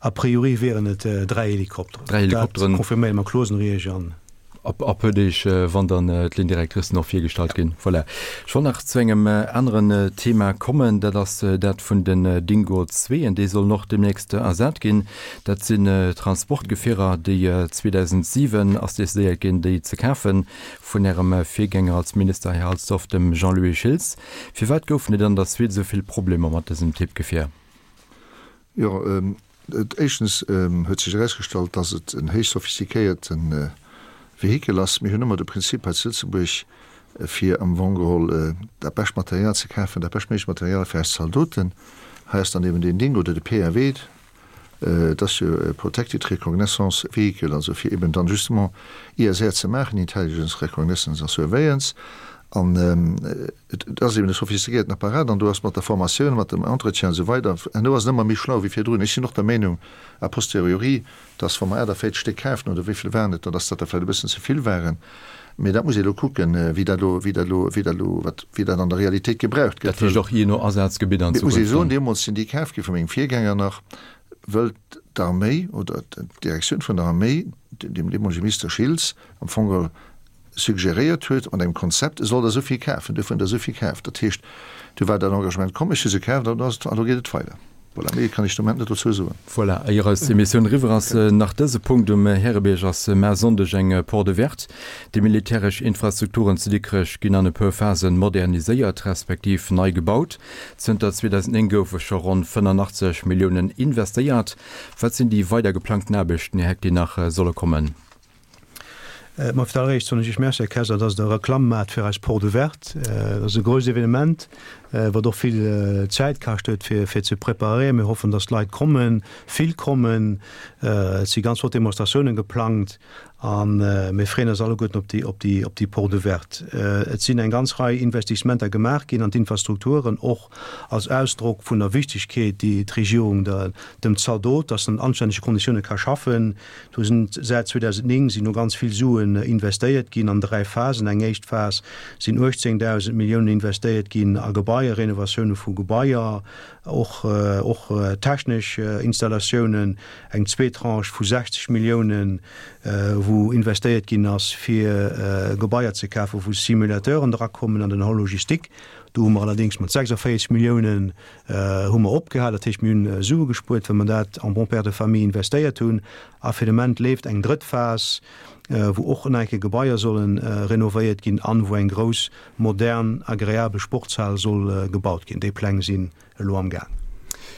A priori wieren et dräi Helikopteren. Dräi Helikopteren. Dat confirméiere mer Closenriech an. Ab a puer Deeg, wann dann d'Ligne directrice och virgestallt ginn. Voilà. Ech wollt nach zu engem aneren Thema kommen, dat ass dat vun den Dingo Zweeën. Déi sollen och deemnächst ersat ginn. Dat sinn Transportgefierer, déi zweedausentsiwen ass decidéiert ginn, déi ze kafen, vun Ärem Virgänger als Minister, Här Halsdorf, dem Jean-Louis Schiltz. Firwat goufen et an der Suite esou vill Problemer mat dësem Typ Gefier? Jo, éischtens huet sech erausgestallt, dass et en héich sophistiquéierte Vehikel ass. Mir hunn ëmmer de Prinzip hei zu Lëtzebuerg, fir am Fong geholl dat bescht Material ze kafen, dat beschtméiglecht Material fir eis Zaldoten. Hei ass dann eben deen Ding oder de P R W, et ass jo e Protected Reconnaissance Vehicle, also fir eben dann justement I S R ze maachen, Intelligence, Reconnaissance a Surveillance. An et ass eben e sophistiquéierten Apparat an do ass mat der Formatioun, mat dem Entretien an esou weider, herno ass en ëmmer méi schlau wéi virdrun. Ech sinn och der Meenung, a posteriori, dass wa mer achtavierzeg Stéck kafen, oder wéi vill waren et der, dass dat der vläicht e bëssen ze vill waren. Mee dat muss ee elo kucken, wéi dat elo, wéi dat elo, wéi dat elo, wat, wéi dat an der Realitéit gebraucht gëtt. Dat heescht och jee no Asazgebitt an Mee et muss ee Zukunft soen, dann. deemools sinn déi kaf gi vu mengem Virgänger nach, wëll d'Arméi oder d'Direktioun vun der Arméi dem deemolege Minister Schiltz am Fong geholl suggeréiert huet mat engem Konzept, e soll der esou vill kafen, duerfir hunn der esou vill kaf. Dat heescht, du war dat Engagement komm, ech hu se kaf an elo geet et weider. Voilà, méi kann ech de Moment net dozou soen. Voilà, éier eis Emissioun eriwwer ass, nach dëse Punkt, Um Härebierg ass mar Sonndeg eng Porte ouverte. Déi militäresch Infrastrukturen zu Dikrech ginn an e puer Phasen moderniséiert, respektiv nei gebaut. Zënter zweedausendnéng goufe scho ronn fënnenachtzeg Milliounen investéiert. Wat sinn déi weider geplangten Aarbechten, Här Heck, déi nach solle kommen? Ma fir d'alleréischt soen ech Iech Merci, Här Kaiser, dass Der Reklamm maacht fir eis Porte ouverte. Dat ass e grousst Evenement, wat och vill Zäit kascht huet, fir, fir ze preparéieren. Mir hoffen, dass d'Leit kommen, vill kommen. Et si ganz flott Demonstratiounen geplangt. A mir freeën eis alleguerten op déi, op déi, op déi Porte ouverte. Et sinn eng ganz Rei Investissementer gemaach ginn an d'Infrastrukturen, och als Ausdrock vun der Wichtigkeet, déi d'Regierung der, dem Zaldot, dass en an anstännege Konditioune ka schaffen. Do sinn säit zweedausendnéng sinn do ganz vill Suen investéiert ginn an dräi Phasen. Eng éischt Phas sinn uechtzéngdausend Milliounen investéiert ginn a Gebaier, Renovatioune vu Gebaier, och, och technesch Installatiounen. Eng zweet Tranche vu sechzeg Milliounen, wou investéiert ginn ass, fir Gebaier ze kafen, wou Simulateuren drakommen an den Hall logistique. Do hu mer allerdéngs mat sechsundvéierzeg Milliounen hu mer opgehal. Dat heescht, mir hunn Sue gespuert, well mer dat en bon père de famille investéiert hunn. A fir de Moment leeft eng drëtt Phas, wou och nach eng Kéier Gebaier solle renovéiert ginn an wou eng grouss, modern, agreabel Sportshal soll gebaut ginn. Déi Pläng sinn elo am Gaang.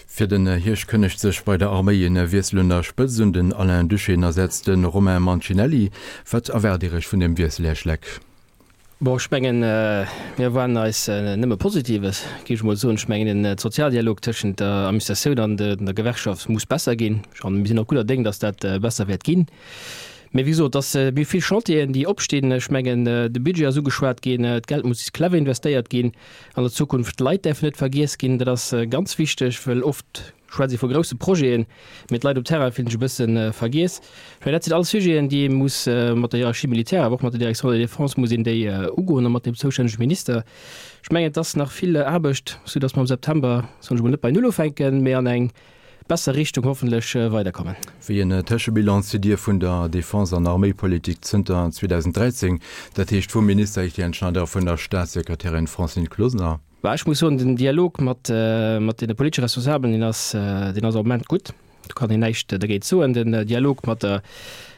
Fir den Hierscht kënnegt sech bei der Arméi en Wiessel un der Spëtzt un. Den Alain Duschène ersetzt de Romain Mancinelli. Wat erwaart Dir Iech vun deem Wiessel, Här Schleck? Bon, ech mengen, mir erwaarden eis nëmme Positives, géif ech emol soen. Ech mengen, den Sozialdialog tëschent der Administratioun an der Gewerkschaft muss besser ginn. An mir sinn och gudder Déng, dass dat besser wäert ginn. Mee wéi gesot, dass mir vill Chantieren, déi opstinn. Ech mengen, de Budget ass ugeschwat ginn, d'Geld muss clever investéiert ginn an der Zukunft. D'Leit däerfen net vergiess ginn, dat ass ganz wichteg, well oft schwätzt ee vu grousse Projeten, mee d'Leit um Terrain fillen sech e bësse vergiess. Ech mengen, dat sinn alles Sujeten, déi ee muss mat der Hiérarchie militaire, awer och mat der Direction de la Défense muss een déi ugoen a mat dem zoustännege Minister. Ech mengen, et ass nach vill Aarbecht, soudass mer am September, soen ech emol, net bei Null ufänken, mee an eng besser Richtung hoffentlech weiderkommen. Wéi en Tëschebilan zitt Dir vun der Defense an Arméipolitik zënter zweedausend dräizéng, dat heescht vum Minister Etienne Schneider a vun der Staatssekretärin Francine Closener? Bah, ech muss soen, den Dialog mat mat deene politesche Responsabelen, deen ass deen ass am Moment gutt. Do kann een näischt dergéint soen. Den Dialog mat der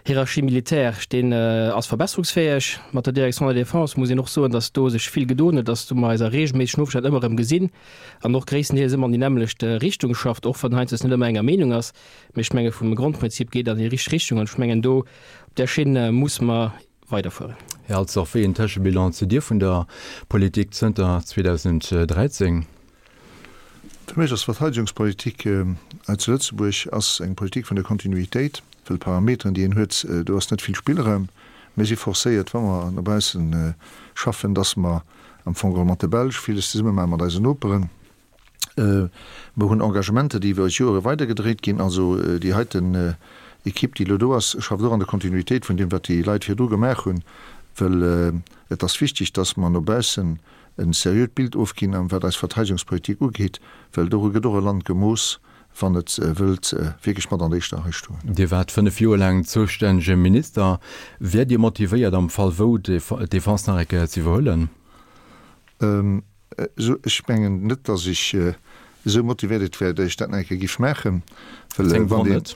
Hiérarchie militaire, deen ass verbesserungsfäeg. Mat der Direction de la Défense muss een och soen, datt do sech vill gedoen huet, datt do mer eis a reegelméissegen Ofstänn ëmmer erëm gesinn an och gréisstendeels ëmmer an déi nämmlecht Richtung schafft, och wann heiansdo net ëmmer enger Meenung ass. Mee ech menge vum Grondprinzip geet an déi richteg Richtung an ech mengen do op där Schinn muss mer weiderfueren. Här Halsdorf, wéi een Tëschebilan zitt Dir vun der Politik zënter zweedausend dräizéng? Fir mech ass d'Verteidegungspolitik hei zu Lëtzebuerg ass eng Politik vun der Kontinuitéit, well d'Parameteren, déi een huet, do ass net vill Spillraum. Mir si forcéiert, wa mer no bausse schaffen, dass mer am Fong geholl mat de Belsch villes zesumme maachen, mat eisen Noperen. Mer hunn Engagementer, déi iwwer Jore weidergedréit ginn. Also déi heiten Equipe, déi elo do ass, schafft och an der Kontinuitéit vun deem, wat déi Leit virdru gemaach hunn, well et ass wichteg, dass mer no baussen e seriöt Bild ofginn, wat eis Verteidegungspolitik ugeet, well doru gëtt och e Land gemooss, wann et wëllt wierklech mat an der éischter Rei stoen. Dir waart fënnef Joer laang zoustännege Minister. Wäert Dir motivéiert, am Fall wou, d'Defense nach eng Kéier ze iwwerhuelen? Ech mengen net, datt ech esou motivéiert wär, datt ech dat nach eng Kéier giff maachen, well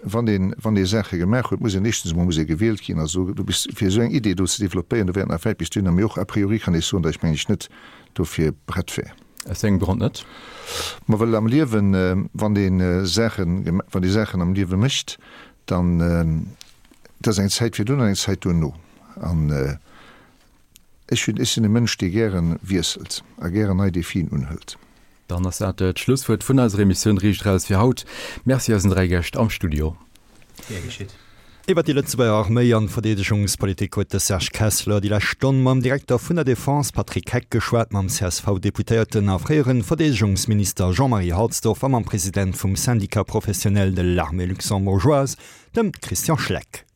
wann een, wann ee Saache gemaach huet, muss een éischtens emol muss ee gewielt ginn. Also du bis, fir esou eng Idee do ze développéieren, do wär et nach wäit bis dohinner. Mee och a priori kann ech soen, datt ech mengen ech net dofir prett wär. Aus wéi engem Grond net? Ma well am Liewen, wann ee Saachen, wann ee Saachen am Liewe mécht, dann, et ass eng Zäit virdrun an eng Zäit duerno. An ech hunn, ech sinn e Mënsch, dee gäre wiesselt a gären nei Defien unhëlt. Dann ass dat d'Schlusswuert vun eiser Emissioun Riicht Eraus fir haut. Merci eisen dräi Gäscht am Studio. Gär geschitt. Iwwer déi Lëtzebuerger Arméi an Verdeedegungspolitik huet de Serge Kessler déi lescht Stonn mam Direkter vun der Defense Patrick Heck geschwat, mam C S V-Deputéierten a fréiere Verdeedegungsminister Jean-Marie Halsdorf a mam President vum Syndicat professionnel de l'armée luxembourgeoise, dem Christian Schleck.